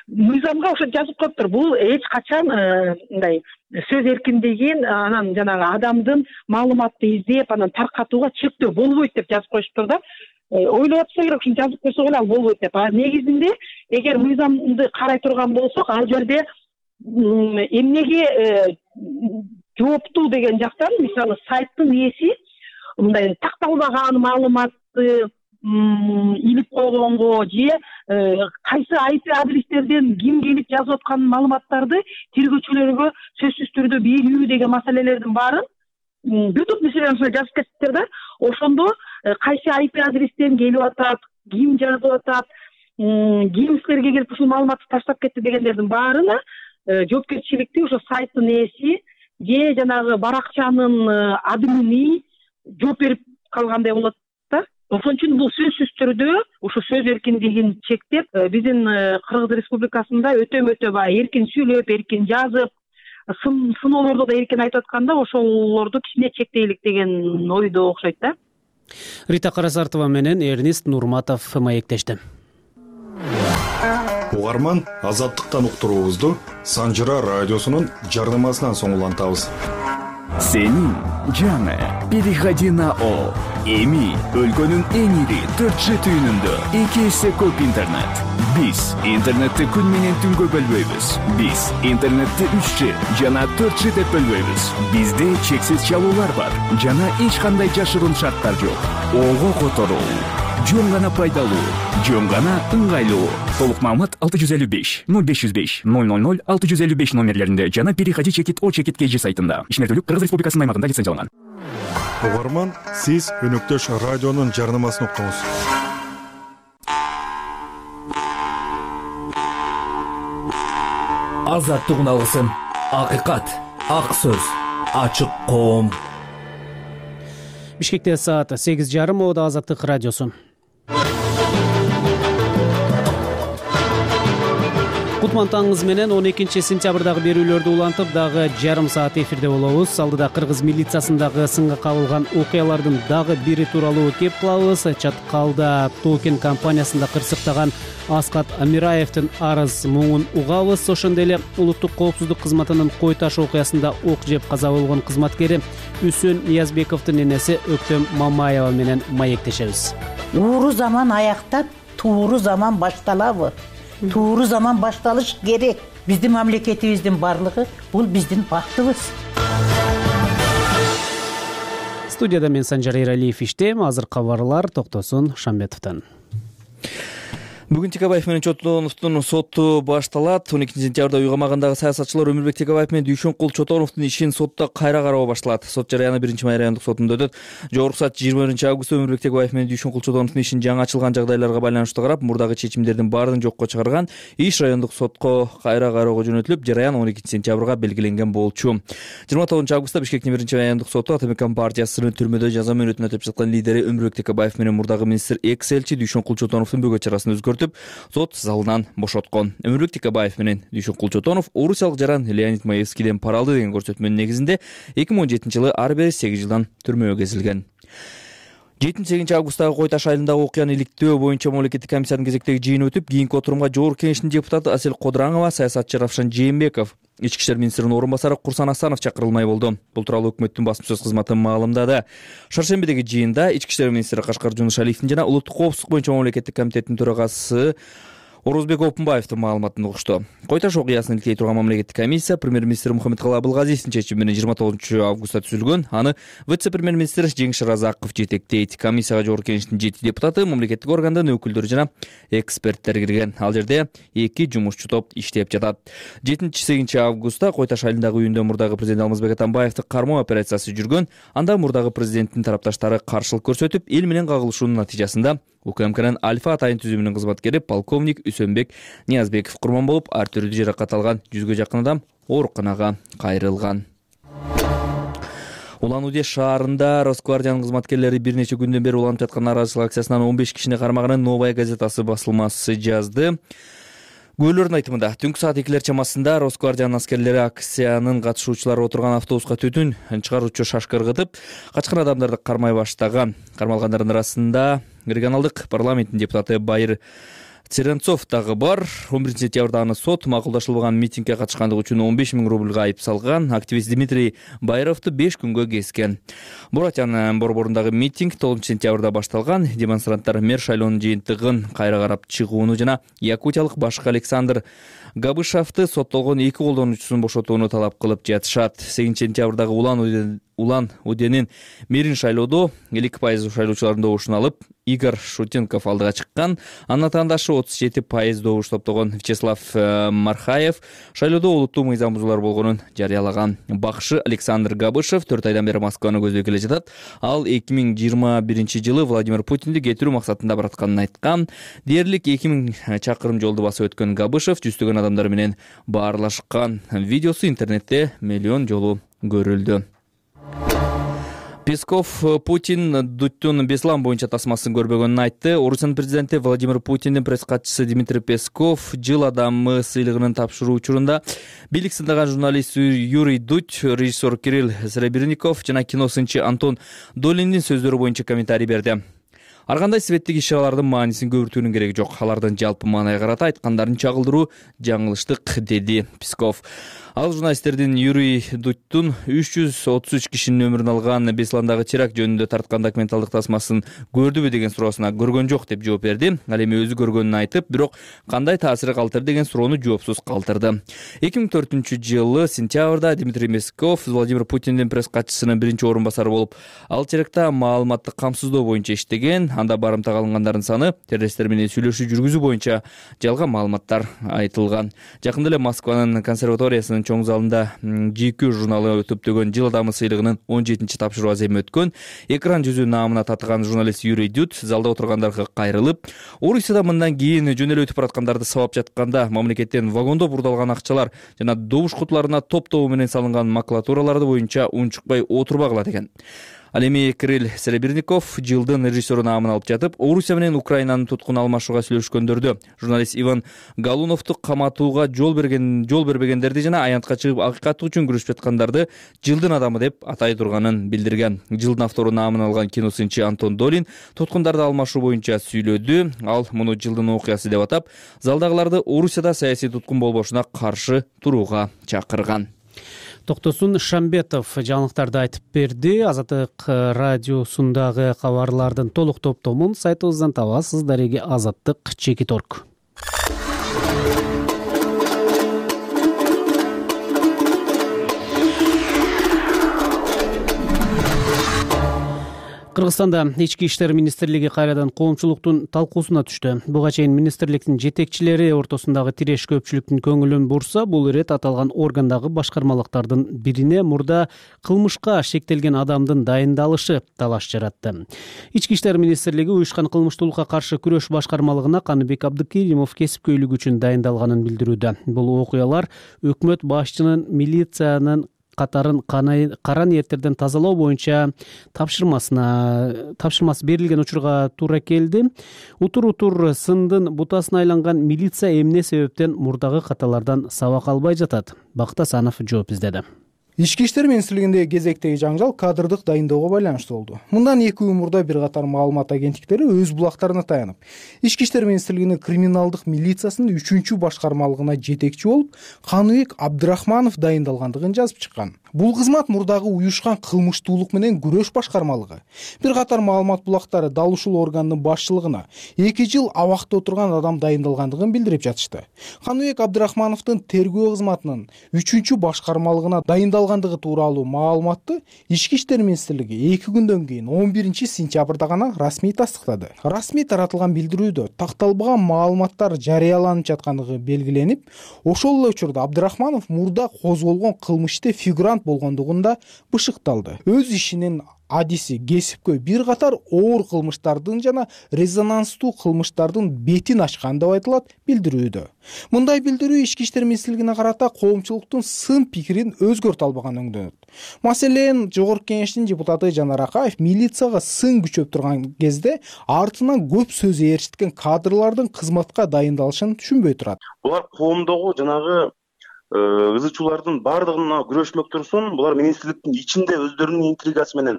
Мыйзамга ошо жазып коюптур. Бул эч качан мындай сөз эркиндигин, анан жанагы адамдын маалыматты издеп, анан таркатууга чектөө болбойт деп жазып коюшуптур да. Ойлоп атса керек, ушуну жазып койсок эле ал болбойт деп. А негизинде эгер мыйзамды карай турган болсок, ал жерде эмнеге жооптуу деген жактан, мисалы сайттын ээси мындай такталбаган маалыматты илип койгонго же кайсы ай пи адрестерден ким келип жазып аткан маалыматтарды тергөөчүлөргө сөзсүз түрдө берүү деген маселелердин баарын бир топ нерселерин жазып кетиптир да. Ошондо кайсы ай пи адрестен келип атат, ким жазып атат, кийин силерге келип ушул маалыматты таштап кетти дегендердин баарына жоопкерчиликти ошо сайттын ээси же жанагы баракчанын админи жооп берип калгандай болот да. Ошон үчүн бул сөзсүз түрдө ушу сөз эркиндигин чектеп, биздин Кыргыз Республикасында өтө өтө баягы эркин сүйлөп, эркин жазып, сыноолордо да эркин айтып атканда ошолорду кичине чектейлик деген ойдо окшойт да. Рита Карасартова менен Эрнист Нурматов маектешти. Угарман, Азаттыктан уктуруубузду Санжыра радиосунун жарнамасынан соң улантабыз. Сенин жаңы переходи на О. Эми өлкөнүн эң ири төрт жи түйүнүндө эки эсе көп интернет. Биз интернетти күн менен түнгө бөлбөйбүз. Биз интернетти үч жи жана төрт жи деп бөлбөйбүз. Бизде чексиз чалуулар бар жана эч кандай жашыруун шарттар жок. Ого которуу жөн гана пайдалуу, жөн гана ыңгайлуу. Толук маалымат алты жүз элүү беш ноль беш жүз беш ноль ноль ноль алты жүз элүү беш номерлеринде жана переходи чекит о чекит kg сайтында. Ишмердүүлүк Кыргыз Республикасынын аймагында лицензияланган. Угарман, сиз өнөктөш радионун жарнамасын уктуңуз. Азаттык уналгысын, акыйкат, ак сөз, ачык коом. Бишкекте саат сегиз жарым, Ода Азаттык радиосу. Кутман таңыңыз менен он экинчи сентябрдагы берүүлөрдү улантып, дагы жарым саат эфирде болобуз. Алдыда Кыргыз милициясындагы сынга кабылган окуялардын дагы бири тууралуу кеп кылабыз. Чаткалда Токен компаниясында кырсыктаган Аскат Амираевдин арыз муңун угабыз. Ошондой эле улуттук коопсуздук кызматынын Кой Таш окуясында ок жеп каза болгон кызматкери Үсөн Ниязбековдун энеси Өктөм Мамаева менен маектешебиз. Ууру заман аяктап, тууру заман башталабы? Тууру заман башталыш керек. Биздин мамлекетибиздин барлыгы бул биздин бактыбыз. Студияда мен Санжар Эралиев иштейм. Азыр кабарлар Токтосун Шамбетовдон. Бүгүн Текебаев менен Чотоновдун соту башталат. он экинчи сентябрда уйгамагындагы саясатчылар Өмүрбек Текебаев менен Дүйшөнкул Чотоновдун ишин сотто кайра кароо башталат. Сот жарыяны биринчи май райондук сотунда өтөт. Жогорку сот жыйырма биринчи августта Өмүрбек Текебаев менен Дүйшөнкул Чотоновдун ишин жаңы ачылган жагдайларга байланыштуу карап, мурдагы чечимдердин баарын жокко чыгарган. Иш райондук сотко кайра кароого жөнөтүлүп, жарыян он экинчи сентябрга белгиленген болчу. жыйырма тогузунчу августта Бишкектин биринчи райондук соту Атамекен партиясынын түрмөдө жаза мөөнөтүн өтөп жаткан лидери Өмүрбек Текебаев менен мурдагы министр экс-элчи Дүйшөнкул Чотоновдун бөгөт чарасын өзгөртүп, сот залынан бошоткон. Өмүрбек Текебаев менен Дүйшөнкул Чотонов орусиялык жаран Леонид Маевскийден пара алды деген көрсөтмөнүн негизинде эки миң он жетинчи жылы ар бири сегиз жылдан түрмөгө кезилген. жетинчи сегизинчи августтагы Кой Таш айылындагы окуяны иликтөө боюнча мамлекеттик комиссиянын кезектеги жыйыны өтүп, кийинки отурумга Жогорку Кеңештин депутаты Асел Кодураңова, саясатчы Равшан Жээнбеков, Ички иштер министринин орун басары Курсан Асанов чакырылмай болду. Бул тууралуу өкмөттүн басма сөз кызматы маалымдады. Шаршембидеги жыйында Ички иштер министри Кашкар Жунушалиевдин жана улуттук коопсуздук боюнча мамлекеттик комитеттин төрагасы Орозбек Опунбаевдин маалыматын угушту. Кой Таш окуясын иликтей турган мамлекеттик комиссия премьер-министр Мухаммедкалый Абылгазиевдин чечими менен жыйырма тогузунчу августта түзүлгөн. Аны вице-премьер-министр Жеңиш Разаков жетектейт. Комиссияга Жогорку Кеңештин жети депутаты, мамлекеттик органдын өкүлдөрү жана эксперттер кирген. Ал жерде эки жумушчу топ иштеп жатат. жетинчи сегизинчи августта Кой Таш айылындагы үйүндө мурдагы президент Алмазбек Атамбаевди кармоо операциясы жүргөн. Анда мурдагы президенттин тарапташтары каршылык көрсөтүп, эл менен кагылышуунун натыйжасында УКМКнын Альфа атайын түзүмүнүн кызматкери полковник Үсөнбек Ниязбеков курман болуп, ар түрдүү жаракат алган жүзгө жакын адам ооруканага кайрылган. Улан-Удэ шаарында Росквардиянын кызматкерлери бир нече күндөн бери уланып жаткан нааразычылык акциясынан он беш кишини кармаганын Новая газетасы басылмасы жазды. Күбөлөрдүн айтымында түнкү саат экилер чамасында Росквардиянын аскерлери акциянын катышуучулары отурган автобуска түтүн чыгаруучу шашка ыргытып, качкан адамдарды кармай баштаган. Кармалгандардын арасында регионалдык парламенттин депутаты Байыр Церенцов дагы бар. он биринчи сентябрда аны сот макулдашылбаган митингге катышкандыгы үчүн он беш миң рубльга айып салган. Активист Дмитрий Байровду беш күнгө kesкен. Буратян борборундагы митинг тогузунчу сентябрда башталган. Демонстранттар мэр шайлоонун жыйынтыгын кайра карап чыгууну жана якутиялык башкы Александр Габышевди соттолгон эки колдонуучусун бошотууну талап кылып жатышат. сегизинчи сентябрдагы Улан-Удэ Улан Уденин Мирин шайлоодо элүү пайыз шайлоочулардын добушун алып, Игорь Шутенков алдыга чыккан. Анын атаандашы отуз жети пайыз добуш топтогон Вячеслав Мархаев шайлоодо олуттуу мыйзам бузуулар болгонун жарыялаган. Бакшы Александр Габышев төрт айдан бери Москваны көздөй келе жатат. Ал эки миң жыйырма биринчи жылы Владимир Путинди кетирүү максатында баратканын айткан. Дээрлик эки миң чакырым жолду басып өткөн Габышев жүздөгөн адамдар менен баарлашкан. Видеосу интернетте миллион жолу көрүлдү. Песков Путин Дудтун Беслан боюнча тасмасын көрбөгөнүн айтты. Орусиянын президенти Владимир Путиндин пресс-катчысы Дмитрий Песков жыл адамы сыйлыгынын тапшыруу учурунда бийлик сындаган журналист Юрий Дудь, режиссер Кирилл Серебренников жана кино сынчы Антон Долиндин сөздөрү боюнча комментарий берди. Ар кандай светтик иш-чаралардын маанисин көбүртүүнүн кереги жок. Алардын жалпы маанайга карата айткандарын чагылдыруу жаңылыштык, деди Песков. Ал журналисттердин Юрий Дудьтун үч жүз отуз үч кишинин өмүрүн алган Бесландагы теракт жөнүндө тарткан документалдык тасмасын көрдүбү деген суроосуна көргөн жок деп жооп берди. Ал эми өзү көргөнүн айтып, бирок кандай таасир калтырды деген суроону жоопсуз калтырды. эки миң төртүнчү жылы сентябрда Дмитрий Песков Владимир Путиндин пресс-катчысынын биринчи орун басары болуп, ал терактта маалыматты камсыздоо боюнча иштеген. Анда барымтага алынгандардын саны, террористтер менен сүйлөшүү жүргүзүү боюнча жалган маалыматтар айтылган. Жакында эле Москванын консерваториясынын чоң залында Джи Кью журналы өтүптөгөн жыл адамы сыйлыгынын он жетинчи тапшыруу аземи өткөн. Экран жүзү наамына татыган журналист Юрий Дудь залда отургандарга кайрылып, Орусияда мындан кийин жөн эле өтүп бараткандарды сабап жатканда мамлекеттен вагондо бурдалган акчалар жана добуш кутуларына топ-тобу менен салынган макулатураларды боюнча унчукпай отурбагыла деген. Ал эми Кирилл Серебренников жылдын режиссеру наамын алып жатып, Орусия менен Украинанын туткун алмашууга сүйлөшкөндөрдү, журналист Иван Галуновду каматууга жол берген жол бербегендерди жана аянтка чыгып акыйкаты үчүн күрөшүп жаткандарды жылдын адамы деп атай турганын билдирген. Жылдын автору наамын алган киносынчы Антон Долин туткундарды алмашуу боюнча сүйлөдү. Ал муну жылдын окуясы деп атап, залдагыларды Орусияда саясий туткун болбошуна каршы турууга чакырган. Токтосун Шамбетов жаңылыктарды айтып берди. Азаттык радиосундагы кабарлардын толук топтомун сайтыбыздан табасыз. Дареги азаттык чекит точка орг. Кыргызстанда Ички иштер министрлиги кайрадан коомчулуктун талкуусуна түштү. Буга чейин министрликтин жетекчилери ортосундагы тиреш көпчүлүктүн көңүлүн бурса, бул ирет аталган органдагы башкармалыктардын бирине мурда кылмышка шектелген адамдын дайындалышы талаш жаратты. Ички иштер министрлиги уюшкан кылмыштуулукка каршы күрөш башкармалыгына Каныбек Абдыкеримов кесипкөйлүк үчүн дайындалганын билдирүүдө. Бул окуялар өкмөт башчынын милициянын катарын кара ниеттерден тазалоо боюнча тапшырмасына тапшырмасы берилген учурга туура келди. Утур-утур сындын бутасына айланган милиция эмне себептен мурдагы каталардан сабак албай жатат? Бакыт Асанов жооп издеди. Ички иштер министрлигиндеги кезектеги жаңжал кадрдык дайындоого байланыштуу болду. Мындан эки үй мурда бир катар маалымат агенттиктери өз булактарына таянып, Ички иштер министрлигинин криминалдык милициясынын үчүнчү башкармалыгына жетекчи болуп, Каныбек Абдрахманов дайындалгандыгын жазып чыккан. Бул кызмат мурдагы уюшкан кылмыштуулук менен күрөш башкармалыгы. Бир катар маалымат булактары дал ушул органдын башчылыгына эки жыл абакта отурган адам дайындалгандыгын билдирип жатышты. Каныбек Абдрахмановдун тергөө кызматынын үчүнчү башкармалыгына дайындалгандыгы тууралуу маалыматты Ички иштер министрлиги эки күндөн кийин он биринчи сентябрда гана расмий тастыктады. Расмий таратылган билдирүүдө такталбаган маалыматтар жарыяланып жаткандыгы белгиленип, ошол эле учурда Абдрахманов мурда козголгон кылмышты фигурант болгондугунда бышыкталды. Өз ишинин адиси кесипкөй бир катар оор кылмыштардын жана резонанстуу кылмыштардын бетин ачкан деп айтылат билдирүүдө. Мындай билдирүү Ички иштер министрлигине карата коомчулуктун сын пикирин өзгөртө албаган өңдөнөт. Маселен, Жогорку Кеңештин депутаты Жанар Акаев милицияга сын күчөп турган кезде артынан көп сөз ээрчиткен кадрлардын кызматка дайындалышын түшүнбөй турат. Булар коомдогу жанагы ызы чуулардын баардыгына күрөшмөк турсун, булар министрликтин ичинде өздөрүнүн интригасы менен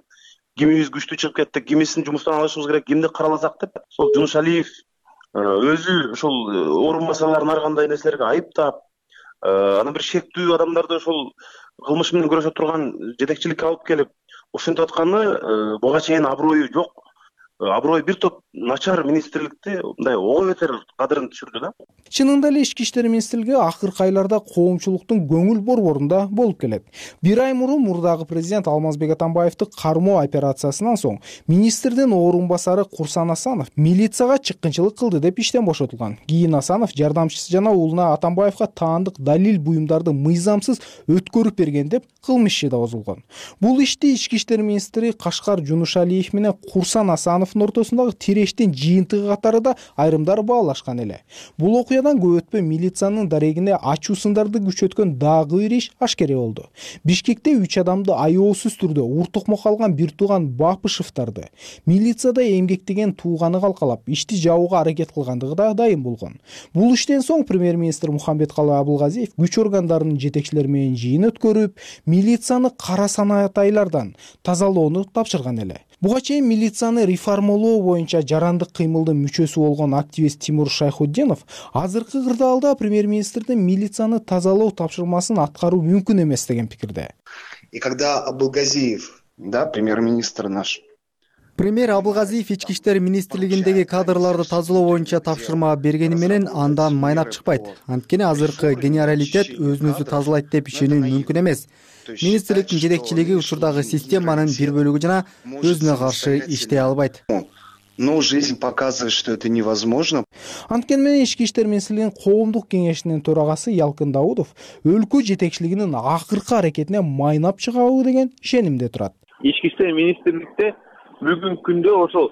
кимибиз күчтүү чыгып кетти, кимисин жумуштан алышыбыз керек, кимди караласак деп, сол Жунушалиев өзү ошол орун басарларын ар кандай нерселерге айыптап, анан бир шектүү адамдарды ошол кылмыш менен күрөшө турган жетекчиликке алып келип, ошентип атканы буга чейин аброю жок аброй бир топ начар министрликти мындай ого бетер кадырын түшүрдү да. Чынында эле Ички иштер министрлиги акыркы айларда коомчулуктун көңүл борборунда болуп келет. Бир ай мурун мурдагы президент Алмазбек Атамбаевди кармоо операциясынан соң министрдин орун басары Курсан Асанов милицияга чыккынчылык кылды деп иштен бошотулган. Кийин Асанов жардамчысы жана уулуна Атамбаевга таандык далил буюмдарды мыйзамсыз өткөрүп берген деп кылмыш иши да козулгон. Бул ишти Ички иштер министри Кашкар Жунушалиев менен Курсан Асановдун ортосундагы тирештин жыйынтыгы катары да айрымдар баалашкан эле. Бул окуядан көп өтпөй милициянын дарегине ачуу сындарды күчөткөн дагы бир иш ашкере болду. Бишкекте үч адамды аяоосуз түрдө уртукмок алган бир тууган Бапышевдарды милицияда эмгектеген тууганы калкалап ишти жабууга аракет кылгандыгы да дайым болгон. Бул иштен соң премьер-министр Мухамбеткалый Абылгазиев күч органдарынын жетекчилери менен жыйын өткөрүп, милицияны кара санаатайлардан тазалоону тапшырган эле. Буга чейин милицияны реформалоо боюнча жарандык кыймылдын мүчөсү болгон активист Тимур Шайхутдинов азыркы кырдаалда премьер-министрдин милицияны тазалоо тапшырмасын аткаруу мүмкүн эмес деген пикирде. И когда Абылгазиев, да, премьер-министр наш, Премьер Абылгазиев Ички иштер министрлигиндеги кадрларды тазалоо боюнча тапшырма бергени менен андан майнап чыкпайт. Анткени азыркы генералитет өзүн өзү тазалайт деп ишенүү мүмкүн эмес. Министрликтин жетекчилиги учурдагы системанын бир бөлүгү жана өзүнө каршы иштей албайт. Но жизнь показывает, что это невозможно. Анткени менен Ички иштер министрлигинин коомдук кеңешинин төрагасы Ялкын Даудов өлкө жетекчилигинин акыркы аракетине майнап чыгабы деген ишенимде турат. Ички иштер министрликте бүгүнкү күндө ошол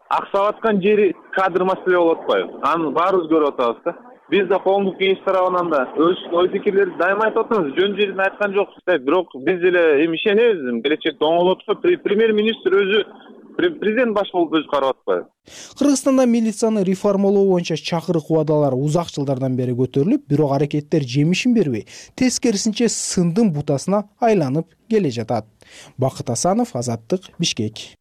аксап аткан жери кадр маселе болуп атпайбы? Аны баарыбыз көрүп атабыз да. Биз да коомдук кеңеш тарабынан да өз ой пикирлерди дайыма айтып атабыз. Жөн жерин айткан жокпуз. Бирок биз деле эми ишенебиз, келечекте оңолот го. Премьер-министр өзү президент баш болуп өзү карап атпайбы? Кыргызстанда милицияны реформалоо боюнча чакырык убадалар узак жылдардан бери көтөрүлүп, бирок аракеттер жемишин бербей, тескерисинче сындын бутасына айланып келе жатат. Бакыт Асанов, Азаттык, Бишкек.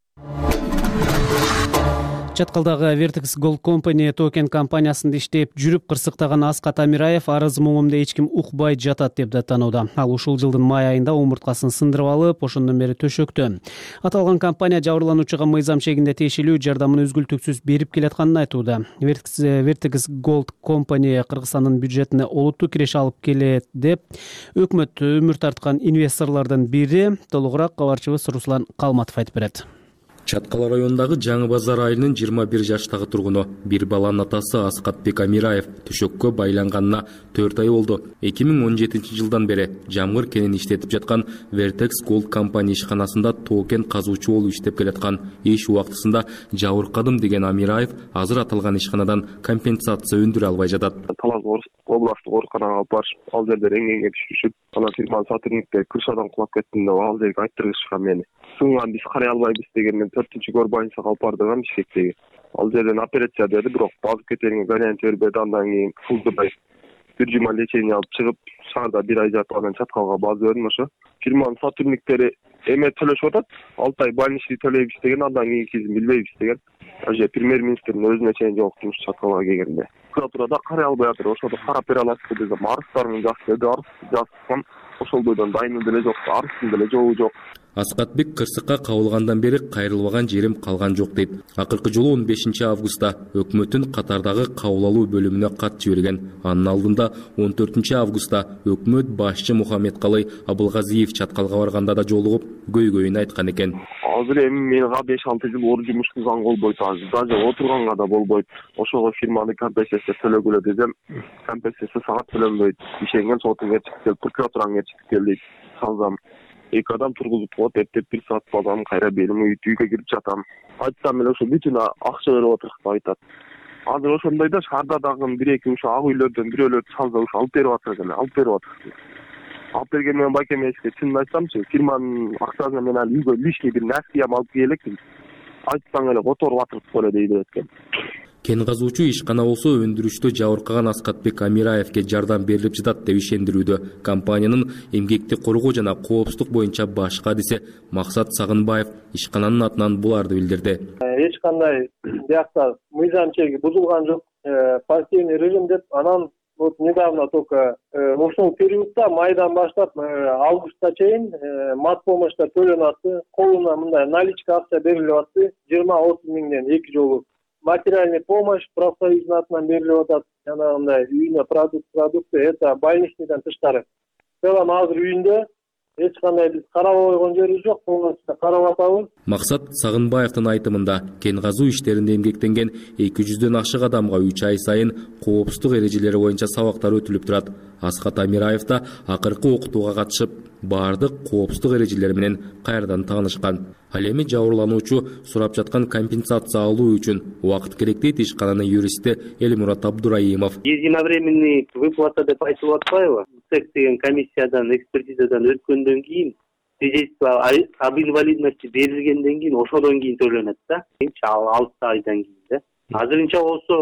Чаткалдагы Vertex Gold Company токен компаниясында иштеп жүрүп кырсыктаган Аскат Амираев арыз муңумда эч ким укпай жатат деп даттанууда. Ал ушул жылдын май айында омурткасын сындырып алып, ошондон бери төшөктө. Аталган компания жабырлануучуга мыйзам чегинде тиешелүү жардамын үзгүлтүксүз берип келатканын айтууда. Vertex Gold Company Кыргызстандын бюджетине олуттуу киреше алып келет деп өкмөт өмүр тарткан инвесторлордун бири. Толугураак кабарчыбыз Руслан Калматов айтып берет. Чаткала районундагы Жаңы Базар айылынын жыйырма бир жаштагы тургуну, бир баланын атасы Аскатбек Амираев төшөккө байланганына төрт ай болду. эки миң он жетинчи жылдан бери жамгыр кенин иштетип жаткан Vertex Gold Company ишканасында токен казуучу болуп иштеп келаткан. Иш убактысында жабыркадым деген Амираев азыр аталган ишканадан компенсация өндүрө албай жатат. Талас областтык ооруканага алып барышып, ал жерде эңеңге түшүшүп, анан фирманын сотрудниктери крышадан кулап кетти деп ал жерге айттырышкан мени. Суңган биз карай албайбыз деген төртүнчү горбанчага алып бардым Бишкектеги. Ал жерден операция деди, бирок базып кетеринге вариант бербеди. Андан кийин Фулдубай бир жума лечение алып чыгып, шаарда бир ай жатып, анан чаткалга базып бердим ошо. Фирманын сотрудниктери эме төлөшүп атат, алты ай больничный төлөйбүз деген, андан кийинкисин билбейбиз деген. Аже премьер-министрдин өзүнө чейин жок жумуш чаткалга келгенде. Прокуратурада карай албай атыр, ошондо карап бере аласызбы десем, арыздарымды жазып берди, арыз жазсам, ошол бойдон дайыны деле жок, арыздын деле жобу жок. Аскатбек кырсыкка кабылгандан бери кайрылбаган жерим калган жок дейт. Акыркы жолу он бешинчи августта өкмөттүн катардагы кабыл алуу бөлүмүнө кат жиберген. Анын алдында он төртүнчү августта өкмөт башчы Мухаммедкалый Абылгазиев чаткалга барганда да жолугуп көйгөйүн айткан экен. Азыр эми менга беш алты жыл ор жумуш кылганга болбойт, азыр даже отурганга да болбойт. Ошого фирманы компенсация төлөгүлө десем, компенсация сага төлөнбөйт. Ишенген сотуң чыгып кел, прокуратураң чыгып кел дейт. Салзам эки адам тургузуп коет, эптеп бир саат базам, кайра белим үйгө кирип жатам. Айтсам эле ошо бүтүн акча берип отуруп деп айтат. Азыр ошондой да шаарда дагы бир эки ушо ак үйлөрдөн бирөөлөр чалса ушо алып берип атат эле, алып берип атат. Алып берген менен байкемешке чынын айтсамчы, фирманын акчасына мен ал үйгө лишний бир нерсе алып келелекмин. Айтсаң эле которуп атырып эле дейди экен. Кен казуучу ишкана болсо өндүрүштө жабыркаган Аскатбек Амираевке жардам берилип жатат деп ишендирүүдө. Компаниянын эмгекти коргоо жана коопсуздук боюнча баш кадиси Максат Сагынбаев ишкананын атынан буларды билдирди. Эч кандай биякта мыйзам чеги бузулган жок, пассивный режим деп, анан вот недавно только ошол периодто майдан баштап августка чейин мат помощьтар төлөнүп атты, колуна мындай наличка акча берилип атты, жыйырма отуз миңден эки жолу. Материальный помощь профсоюздун атынан берилип атат, жанагындай үйүнө продукт продукты, это больничныйдан тышкары. В целом азыр үйүндө эч кандай биз карабай койгон жерибиз жок, полностью карап атабыз. Максат Сагынбаевдин айтымында кен казуу иштеринде эмгектенген эки жүздөн ашык адамга үч ай сайын коопсуздук эрежелери боюнча сабактар өтүлүп турат. Аскат Амираев да акыркы окутууга катышып, баардык коопсуздук эрежелери менен кайрадан таанышкан. Ал эми жабырлануучу сурап жаткан компенсация алуу үчүн убакыт керек дейт ишкананын юристи Элмурат Абдураимов. Единовременный выплата деп айтылып атпайбы? ЦЕК деген комиссиядан, экспертизадан өткөндөн кийин свидетельство об инвалидности берилгенден кийин ошодон кийин төлөнөт да. алты айдан кийин да. Азырынча болсо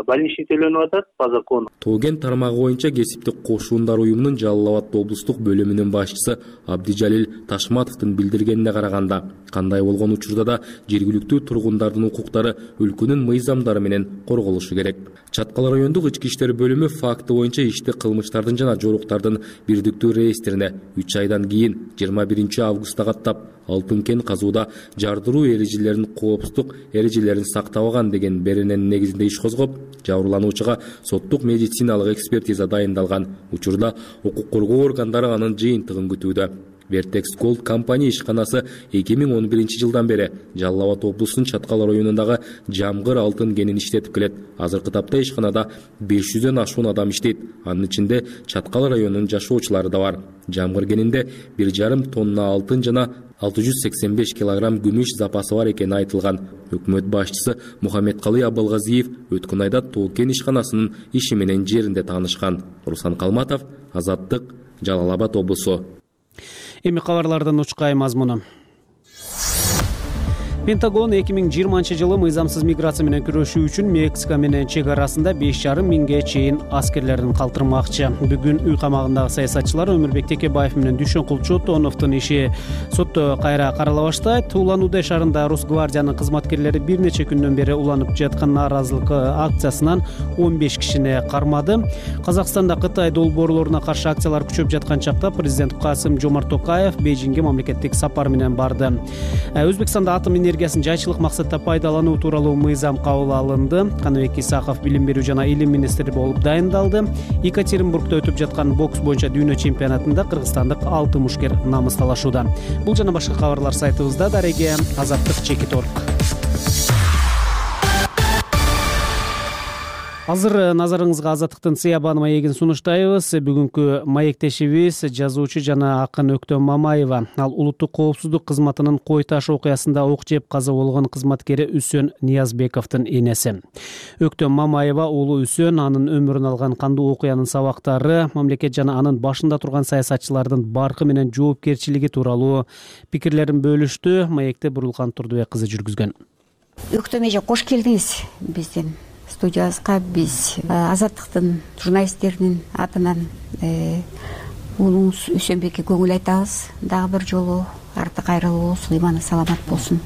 больничный төлөнүп атат по закону. Тоген тармагы боюнча кесиптик кошуундар уюмунун Жалал Абад облустук бөлүмүнүн башчысы Абдижалил Ташматовдун билдиргенине караганда, кандай болгон учурда да жергиликтүү тургундардын укуктары өлкөнүн мыйзамдары менен корголушу керек. Чаткал райондук ички иштер бөлүмү факты боюнча ишти кылмыштардын жана жоруктардын бирдиктүү реестрине үч айдан кийин жыйырма биринчи августта каттап, алтын кен казууда жардыруу эрежелерин, коопсуздук эрежелерин сактабаган деген берененин негизинде иш козгоп, жабырлануучуга соттук медициналык экспертиза дайындалган. Учурда укук коргоо органдары анын жыйынтыгын күтүүдө. Vertex Gold компания ишканасы эки миң он биринчи жылдан бери Жалал Абад облусунун Чаткал районундагы жамгыр алтын кенин иштетип келет. Азыркы тапта ишканада беш жүздөн ашуун адам иштейт. Анын ичинде Чаткал районунун жашоочулары да бар. Жамгыр кенинде бир жарым тонна алтын жана алты жүз сексен беш килограмм күмүш запасы бар экени айтылган. Өкмөт башчысы Мухаммедкалый Абылгазиев өткөн айда Тоо кен ишканасынын иши менен жеринде таанышкан. Руслан Калматов, Азаттык, Жалал Абад облусу. Эми кабарлардын учкай мазмуну. Пентагон эки миң жыйырманчы жылы мыйзамсыз миграция менен күрөшүү үчүн Мексика менен чек арасында беш жарым миңге чейин аскерлерин калтырмакчы. Бүгүн үй камагындагы саясатчылар Өмүрбек Текебаев менен Дүйшөнкул Чотоновдун иши сотто кайра карала баштайт. Улан-Удэ шаарында Росгвардиянын кызматкерлери бир нече күндөн бери уланып жаткан нааразылык акциясынан он беш кишини кармады. Казакстанда Кытай долбоорлоруна каршы акциялар күчөп жаткан чакта президент Касым-Жомарт Токаев Бейжиңге мамлекеттик сапар менен барды. Өзбекстанда атом энергиясын жайчылык максатта пайдалануу тууралуу мыйзам кабыл алынды. Каныбек Исаков билим берүү жана илим министри болуп дайындалды. Екатеринбургда өтүп жаткан бокс боюнча дүйнө чемпионатында кыргызстандык алты мушкер намыс талашууда. Бул жана башка кабарлар сайтыбызда. Дареге Азаттык чекит орг. Азыр назарыңызга Азаттыктын Сыябан маегин сунуштайбыз. Бүгүнкү маектешибиз жазуучу жана акын Өктөм Мамаева. Ал улуттук коопсуздук кызматынын Кой таш окуясында ок жеп каза болгон кызматкери Үсөн Ниязбековдун энеси. Өктөм Мамаева уулу Үсөн анын өмүрүн алган кандуу окуянын сабактары, мамлекет жана анын башында турган саясатчылардын баркы менен жоопкерчилиги тууралуу пикирлерин бөлүштү. Маекти Бурулкан Турдубек кызы жүргүзгөн. Өктөм эже кош келдиңиз биздин студиябызга. Биз Азаттыктын журналисттеринин атынан уулуңуз Үсөнбекке көңүл айтабыз. Дагы бир жолу арты кайрылуу болсун, иманы саламат болсун.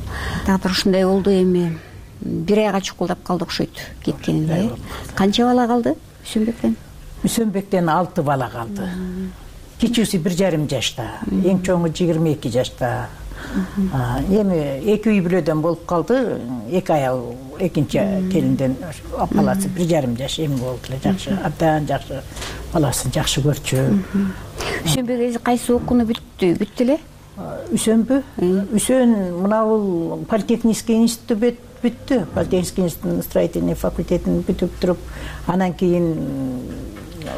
Дагы бир ушундай болду, эми бир айга чукулдап калды окшойт кеткенине. Канча бала калды Үсөнбектен? Үсөнбектен алты бала калды. Кичүүсү бир жарым жашта, эң чоңу жыйырма эки жашта. Эми эки үй бүлөдөн болуп калды. Эки аял экинчи келинден баласы бир жарым жаш эми болду эле. Жакшы, абдан жакшы. Баласын жакшы көрчү. Үсөнбек эже кайсы окууну бүттү? Бүттү эле? Үсөнбү? Үсөн мына бул политехнический институтты бүттү. Политехнический институттун строительный факультетин бүтүп туруп, анан кийин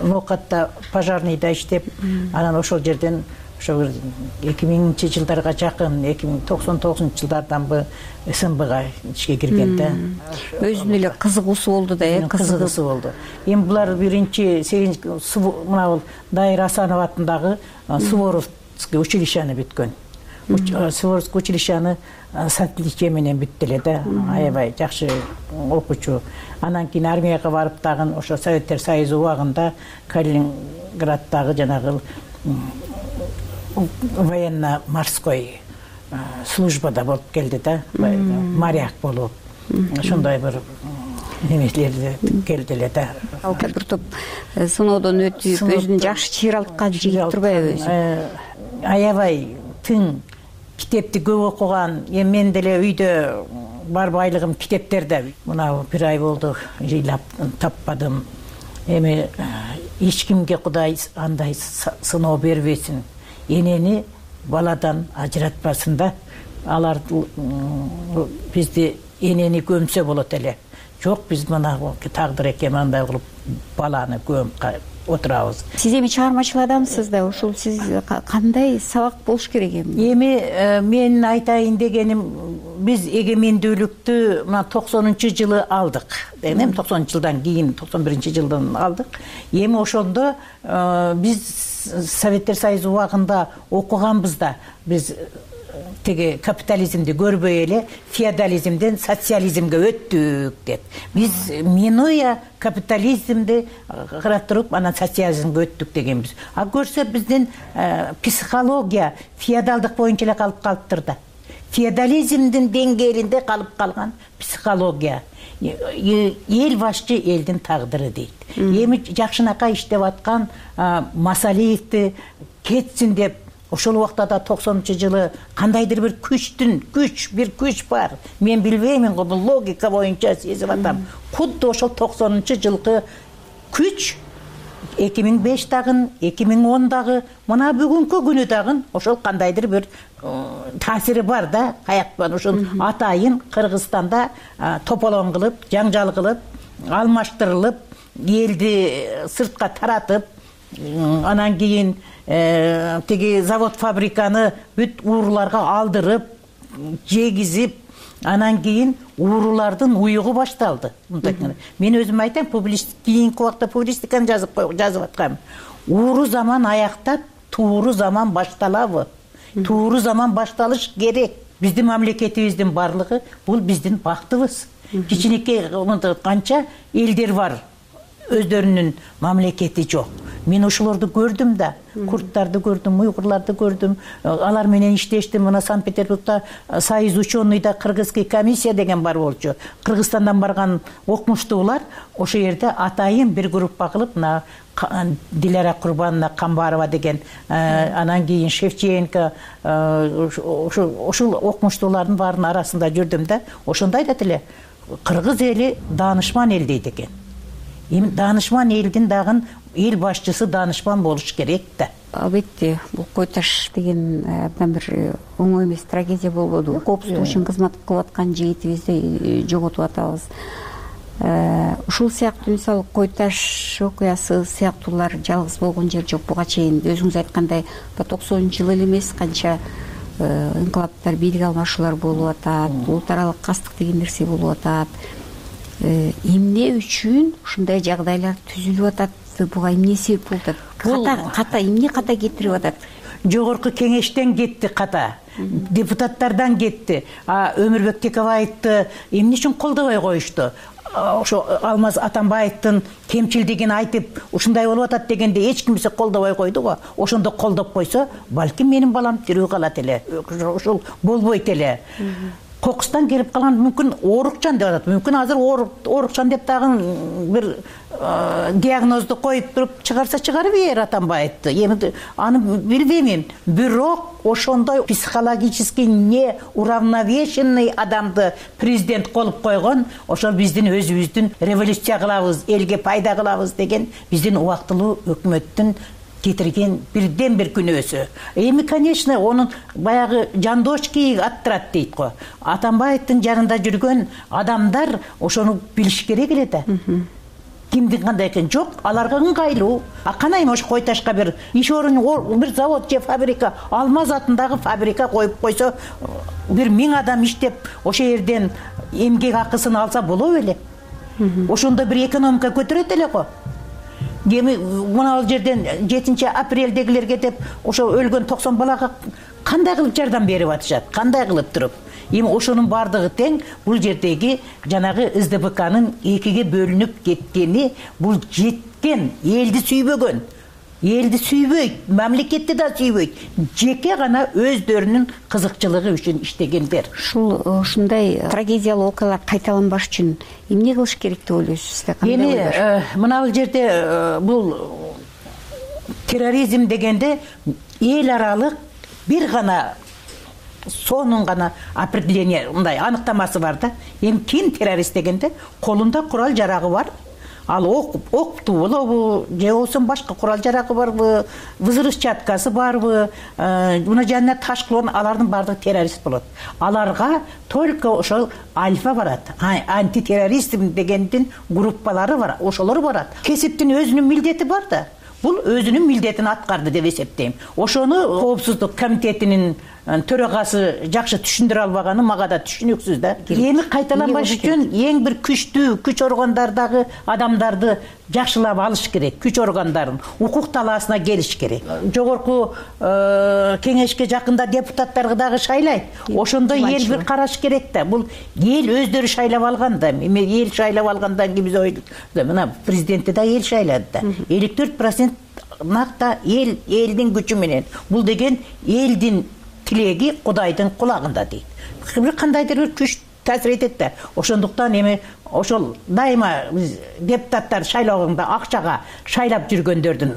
Ноокатта пожарныйда иштеп, анан ошол жерден ошо эки миңинчи жылдарга жакын, эки миң токсон тогузунчу жылдардан бы СМБга ишке кирген да. Өзүнүн эле кызыгуусу болду да, э, кызыгуусу болду. Эми булар биринчи сегизинчи мына бул Дайыр Асанов атындагы Суворовский училищени бүткөн. Суворовский училищени с отличием менен бүттү эле да. Аябай жакшы окуучу. Анан кийин армияга барып дагы ошо Советтер Союзу убагында Калининграддагы жанагы военно-морской службада болуп келди да, моряк болуп. Ошондой бир немелерди келди эле да. Ал бир топ сыноодон өтүп өзүн жакшы чыйралткан жигит турбайбы өзү? Аябай тың, китепти көп окуган. Эми мен деле үйдө бар байлыгым китептерде. Мына бир ай болду жыйлап таппадым. Эми эч кимге Кудай андай сыноо бербесин. Энени баладан ажыратпасын да. Алар бизди энени көмсө болот эле. Жок, биз мына тагдыр экен андай кылып баланы көмүп отурабыз. Сиз эми чыгармачыл адамсыз да, ушул сиз кандай сабак болуш керек эми? Эми мен айтайын дегеним, биз эгемендүүлүктү мына токсонунчу жылы алдык. Эми токсонунчу жылдан кийин токсон биринчи жылдан алдык. Эми ошондо биз Советтер Союзу убагында окуганбыз да, биз теги капитализмди көрбөй эле феодализмден социализмге өттүк деп. Биз минуя капитализмди карап туруп, анан социализмге өттүк дегенбиз. А көрсө биздин психология феодалдык боюнча эле калып калыптыр да. Феодализмдин деңгээлинде калып калган психология. Эл башчы элдин тагдыры дейт. Эми жакшынакай иштеп аткан Масалиевди кетсин деп, ошол убакта да токсонунчу жылы кандайдыр бир күчтүн, күч, бир күч бар. Мен билбеймин го, бул логика боюнча сезип атам. Кудду ошол токсонунчу жылкы күч эки миң беш дагы, эки миң он дагы, мына бүгүнкү күнү дагы ошол кандайдыр бир таасири бар да. Каяктан ошол атайын Кыргызстанда тополоң кылып, жаңжал кылып, алмаштырылып, элди сыртка таратып, анан кийин теги завод фабриканы бүт ууруларга алдырып, жегизип, анан кийин уурулардын уюгу башталды. Мен өзүм айтам, кийинки убакта публистиканы жазып жазып аткам. Ууру заман аяктап, тууру заман башталабы? Тууру заман башталыш керек. Биздин мамлекетибиздин барлыгы бул биздин бактыбыз. Кичинекей канча элдер бар, өздөрүнүн мамлекети жок. Мен ошолорду көрдүм да, курдтарды көрдүм, уйгурларды көрдүм. Алар менен иштештим. Мына Санкт-Петербургда Союз ученыйда кыргызский комиссия деген бар болчу. Кыргызстандан барган окумуштуулар ошол жерде атайын бир группа кылып, мына Дилара Курбановна Камбарова деген, анан кийин Шевченко, ошол окумуштуулардын баарынын арасында жүрдүм да. Ошондо айтат эле, кыргыз эли даанышман эл дейт экен. Эми даанышман элдин дагы эл башчысы даанышман болуш керек да. Албетте, бул кой таш деген абдан бир оңой эмес трагедия болбоду. Коопсуздук үчүн кызмат кылып аткан жигитибизди жоготуп атабыз. Ушул сыяктуу мисалы кой таш окуясы сыяктуулар жалгыз болгон жер жок. Буга чейин өзүңүз айткандай токсонунчу жыл эле эмес, канча инкылаптар, бийлик алмашуулар болуп атат, улут аралык кастык деген нерсе болуп атат. Эмне үчүн ушундай жагдайлар түзүлүп атат? Буга эмне себеп болуп атат? Ката, ката эмне ката кетирип атат? Жогорку кеңештен кетти ката, депутаттардан кетти. А Өмүрбек Текебаевди эмне үчүн колдобой коюшту? Ошо Алмаз Атамбаевдин кемчилдигин айтып, ушундай болуп атат дегенде эч кимсе колдобой койду го. Ошондо колдоп койсо, балким менин балам тирүү калат эле. Ошол болбойт эле. Кокустан келип калган мүмкүн оорукчан деп атат. Мүмкүн азыр оорукчан деп дагы бир диагнозду коюп туруп чыгарса чыгарып бер Атамбаевди. Эми аны билбеймин. Бирок ошондой психологический не уравновешенный адамды президент кылып койгон, ошол биздин өзүбүздүн революция кылабыз, элге пайда кылабыз деген биздин убактылуу өкмөттүн кетирген бирден бир күнөөсү. Эми, конечно, онун баягы жандошки аттырат дейт го. Атамбаевдин жанында жүргөн адамдар ошону билиш керек эле да. Кимдин кандай экен? Жок, аларга ыңгайлуу. А канайым ошо кой ташка бир иш орун, бир завод же фабрика, Алмаз атындагы фабрика коюп койсо, бир миң адам иштеп, ошол жерден эмгек акысын алса болобу эле? Ошондо бир экономика көтөрөт эле го. Эми мына ал жерден жетинчи апрелдегилерге деп ошо өлгөн токсон балага кандай кылып жардам берип атышат? Кандай кылып туруп? Эми ошонун бардыгы тең бул жердеги жанагы СДПКнын экиге бөлүнүп кеткени, бул жеткен, элди сүйбөгөн. элди сүйбөйт, мамлекетти да сүйбөйт, жеке гана өздөрүнүн кызыкчылыгы үчүн иштегендер. Ушул ушундай трагедиялуу окуялар кайталанбаш үчүн эмне кылыш керек деп ойлойсуз? Эми мына бул жерде бул терроризм дегенде эл аралык бир гана сонун гана определение, мындай аныктамасы бар да. Эми ким террорист дегенде колунда курал жарагы бар. Ал ок окту болобу, же болбосо башка курал жарагы барбы, взрывчаткасы барбы, мына жанына таш кылган, алардын баардыгы террорист болот. Аларга только ошол альфа барат, антитерроризм дегендин группалары бар, ошолор барат. Кесиптин өзүнүн милдети бар да. Бул өзүнүн милдетин аткарды деп эсептейм. Ошону коопсуздук комитетинин төрагасы жакшы түшүндүрө албаганы мага да түшүнүксүз да. Эми кайталанбаш үчүн эң бир күчтүү күч органдардагы адамдарды жакшылап алыш керек, күч органдарын укук талаасына келиш керек. Жогорку кеңешке жакында депутаттарды дагы шайлайт. Ошондой эл бир караш керек да. Бул эл өздөрү шайлап алган да. Эми эл шайлап алгандан кийин биз ойлойбуз. Мына президентти да эл шайлады да. элүү төрт процент накта эл элдин күчү менен. Бул деген элдин тилеги Кудайдын кулагында дейт. Бир кандайдыр бир күч таасир этет да. Ошондуктан эми ошол дайыма биз депутаттар шайлоогонда акчага шайлап жүргөндөрдүн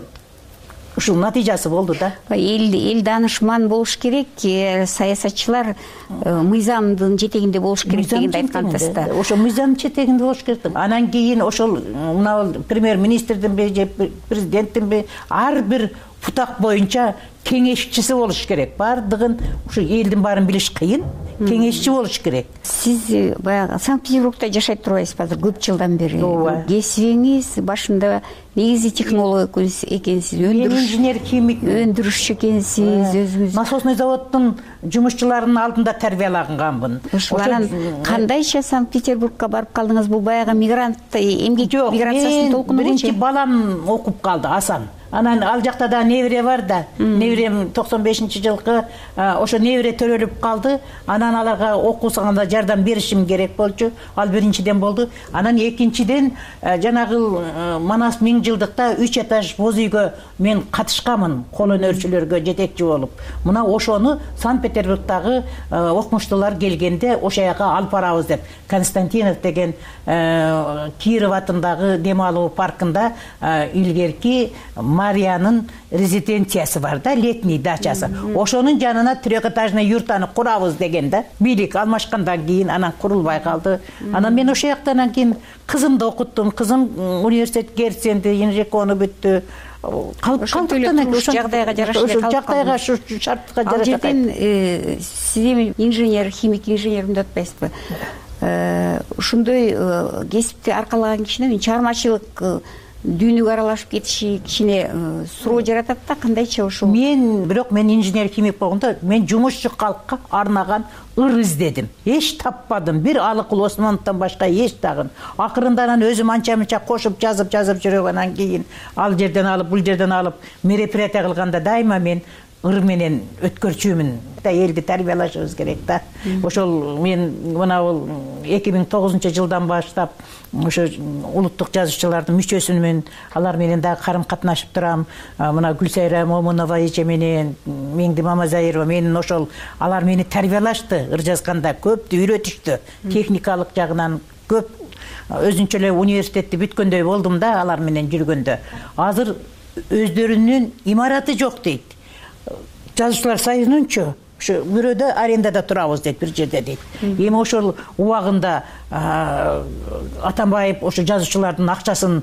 ушул натыйжасы болду да. Эл эл данышман болуш керек, саясатчылар мыйзамдын жетегинде болуш керек дегенди айткансыз да. Ошо мыйзамдын жетегинде болуш керек. Анан кийин ошол мына премьер-министрдинби же президенттинби ар бир бутак боюнча кеңешчиси болуш керек. Бардыгын ушу элдин баарын билиш кыйын, кеңешчи болуш керек. Сиз баягы Санкт-Петербургда жашай турбайсызбы азыр көп жылдан бери? Кесибиңиз башында негизи технолог экенсиз, өндүрүш инженер химик, өндүрүшчү экенсиз, өзүңүз насосный заводдун жумушчуларынын алдында тарбиялаганмын. Ошолардан кандайча Санкт-Петербургка барып калдыңыз? Бул баягы мигрант, эмгек миграциясынын толкуну болчу. Биринчи балам окуп калды, Асан. Анан ал жакта да небере бар да. Неберем токсон бешинчи жылкы ошо небере төрөлүп калды. Анан аларга окуусаганда жардам беришим керек болчу. Ал биринчиден болду. Анан экинчиден жанагы Манас миң жылдыкта үч этаж боз үйгө мен катышканмын, кол өнөрчүлөргө жетекчи болуп. Мына ошону Санкт-Петербургдагы окумуштуулар келгенде ошо жака алып барабыз деп Константинов деген Киров атындагы дем алуу паркында илгерки Мариянын резиденциясы бар да, летний дачасы. Ошонун жанына трехэтажный юртаны курабыз деген да. Бийлик алмашкандан кийин анан курулбай калды. Анан мен ошол жактан кийин кызымды окуттум. Кызым университет Герценди, инжекону бүттү. Калыптан ошол жагдайга жараша ошол жагдайга шу шартка жараша. Ал жерден сиз эми инженер, химик инженер деп атпайсызбы? Ушундай кесипти аркалаган кишинин чыгармачылык дүйнөгө аралашып кетиши кичине суроо жаратат да. Кандайча ошол? Мен бирок мен инженер химик болгондо мен жумушчу калкка арнаган ыр издедим. Эч таппадым. Бир Алыкул Осмоновдон башка эч тагын. Акырында анан өзүм анча-мынча кошуп жазып жазып жүрөм. Анан кийин ал жерден алып, бул жерден алып мероприятие кылганда дайыма мен ыр менен өткөрчүмүн да. Элди тарбиялашыбыз керек да. Ошол мен мына бул эки миң тогузунчу жылдан баштап ошо улуттук жазуучулардын мүчөсүмүн. Алар менен дагы карым катнашып турам. Мына Гүлсайра Момунова эже менен, Меңди Мамазайырова менен ошол алар мени тарбиялашты. Ыр жазганда көптү үйрөтүштү. Техникалык жагынан көп өзүнчө эле университетти бүткөндөй болдум да алар менен жүргөндө. Азыр өздөрүнүн имараты жок дейт. Жазуучулар союзунчу ошо бирөөдө арендада турабыз дейт, бир жерде дейт. Эми ошол убагында Атамбаев ошо жазуучулардын акчасын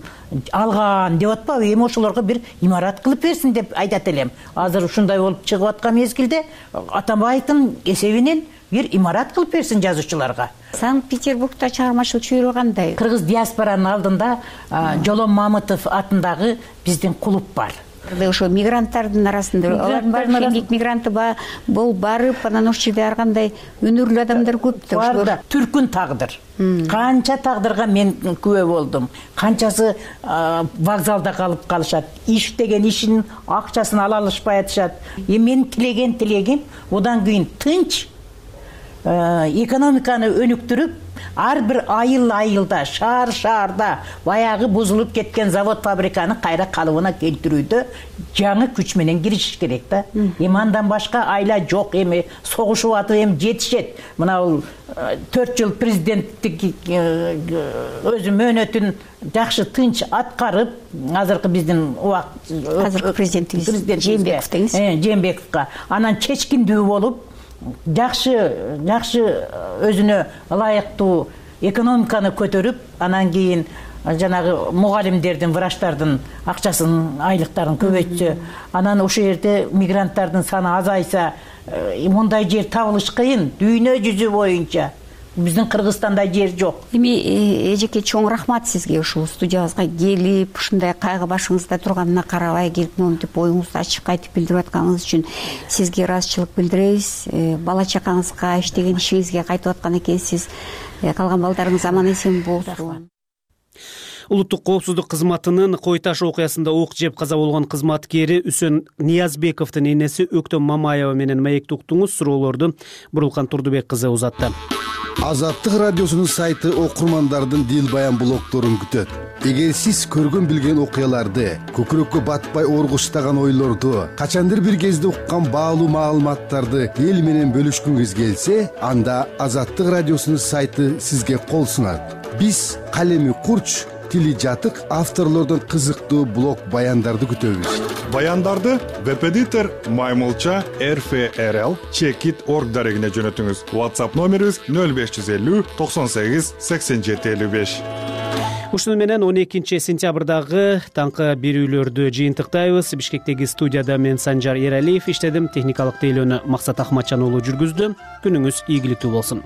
алган деп атпабы? Эми ошолорго бир имарат кылып берсин деп айтат элем. Азыр ушундай болуп чыгып аткан мезгилде Атамбаевдин эсебинен бир имарат кылып берсин жазуучуларга. Санкт-Петербургда чыгармачылык чөйрө кандай? Кыргыз диаспоранын алдында Жолом Мамытов атындагы биздин клуб бар. Ошо мигранттардын арасында алардын баары эмгек мигранты болуп барып, анан ошол жерде ар кандай өнөрлүү адамдар көп да. Бар да. Түркүн тагдыр. Канча тагдырга мен күбө болдум. Канчасы вокзалда калып калышат. Иштеген ишин акчасын ала алышпай атышат. Эми менин тилеген тилегим одан кийин тынч экономиканы өнүктүрүп, ар бир айыл айылда, шаар шаарда баягы бузулуп кеткен завод фабриканы кайра калыбына келтирүүдө жаңы күч менен киришиш керек да. Эми андан башка айла жок, эми согушуп атып эми жетишет. Мына бул төрт жыл президенттик өзү мөөнөтүн жакшы тынч аткарып, азыркы биздин убакыт азыркы президентибиз Жээнбеков деңиз. Жээнбековго анан чечкиндүү болуп, жакшы жакшы өзүнө ылайыктуу экономиканы көтөрүп, анан кийин жанагы мугалимдердин, врачтардын акчасын, айлыктарын көбөйтсө, анан ошол жерде мигранттардын саны азайса, мындай жер табылыш кыйын дүйнө жүзү боюнча. Биздин Кыргызстанда жер жок. Эми эжеке чоң рахмат сизге ушул студиябызга келип, ушундай кайгы башыңызда турганына карабай келип, монтип оюңузду ачып кайтып билдирип атканыңыз үчүн сизге ыраазычылык билдиребиз. Бала чакаңызга, иштеген ишиңизге кайтып аткан экенсиз. Калган балдарыңыз аман эсен болсун. Улуттук коопсуздук кызматынын Кой Таш окуясында ок жеп каза болгон кызматкери Үсөн Ниязбековдун энеси Өктөм Мамаева менен маекти уктуңуз. Суроолорду Бурулкан Турдубек кызы узатты. Азаттык радиосунун сайты окурмандардын дил баян блогторун күтөт. Эгер сиз көргөн билген окуяларды, көкүрөккө батпай оргуштаган ойлорду, качандыр бир кезде уккан баалуу маалыматтарды эл менен бөлүшкүңүз келсе, анда Азаттык радиосунун сайты сизге кол сунат. Биз калеми курч, тили жатык авторлордун кызыктуу блог баяндарды күтөбүз. Баяндарды веб-эдитор Маймылча эр эф эр эл чекит точка орг дарегине жөнөтүңүз. WhatsApp номерибиз нөл беш жүз элүү токсон сегиз сексен жети элүү беш. Ушуну менен он экинчи сентябрдагы таңкы берүүлөрдү жыйынтыктайбыз. Бишкектеги студияда мен Санжар Эралиев иштедим. Техникалык тейлөөнү Максат Ахматжан уулу жүргүздү. Күнүңүз ийгиликтүү болсун.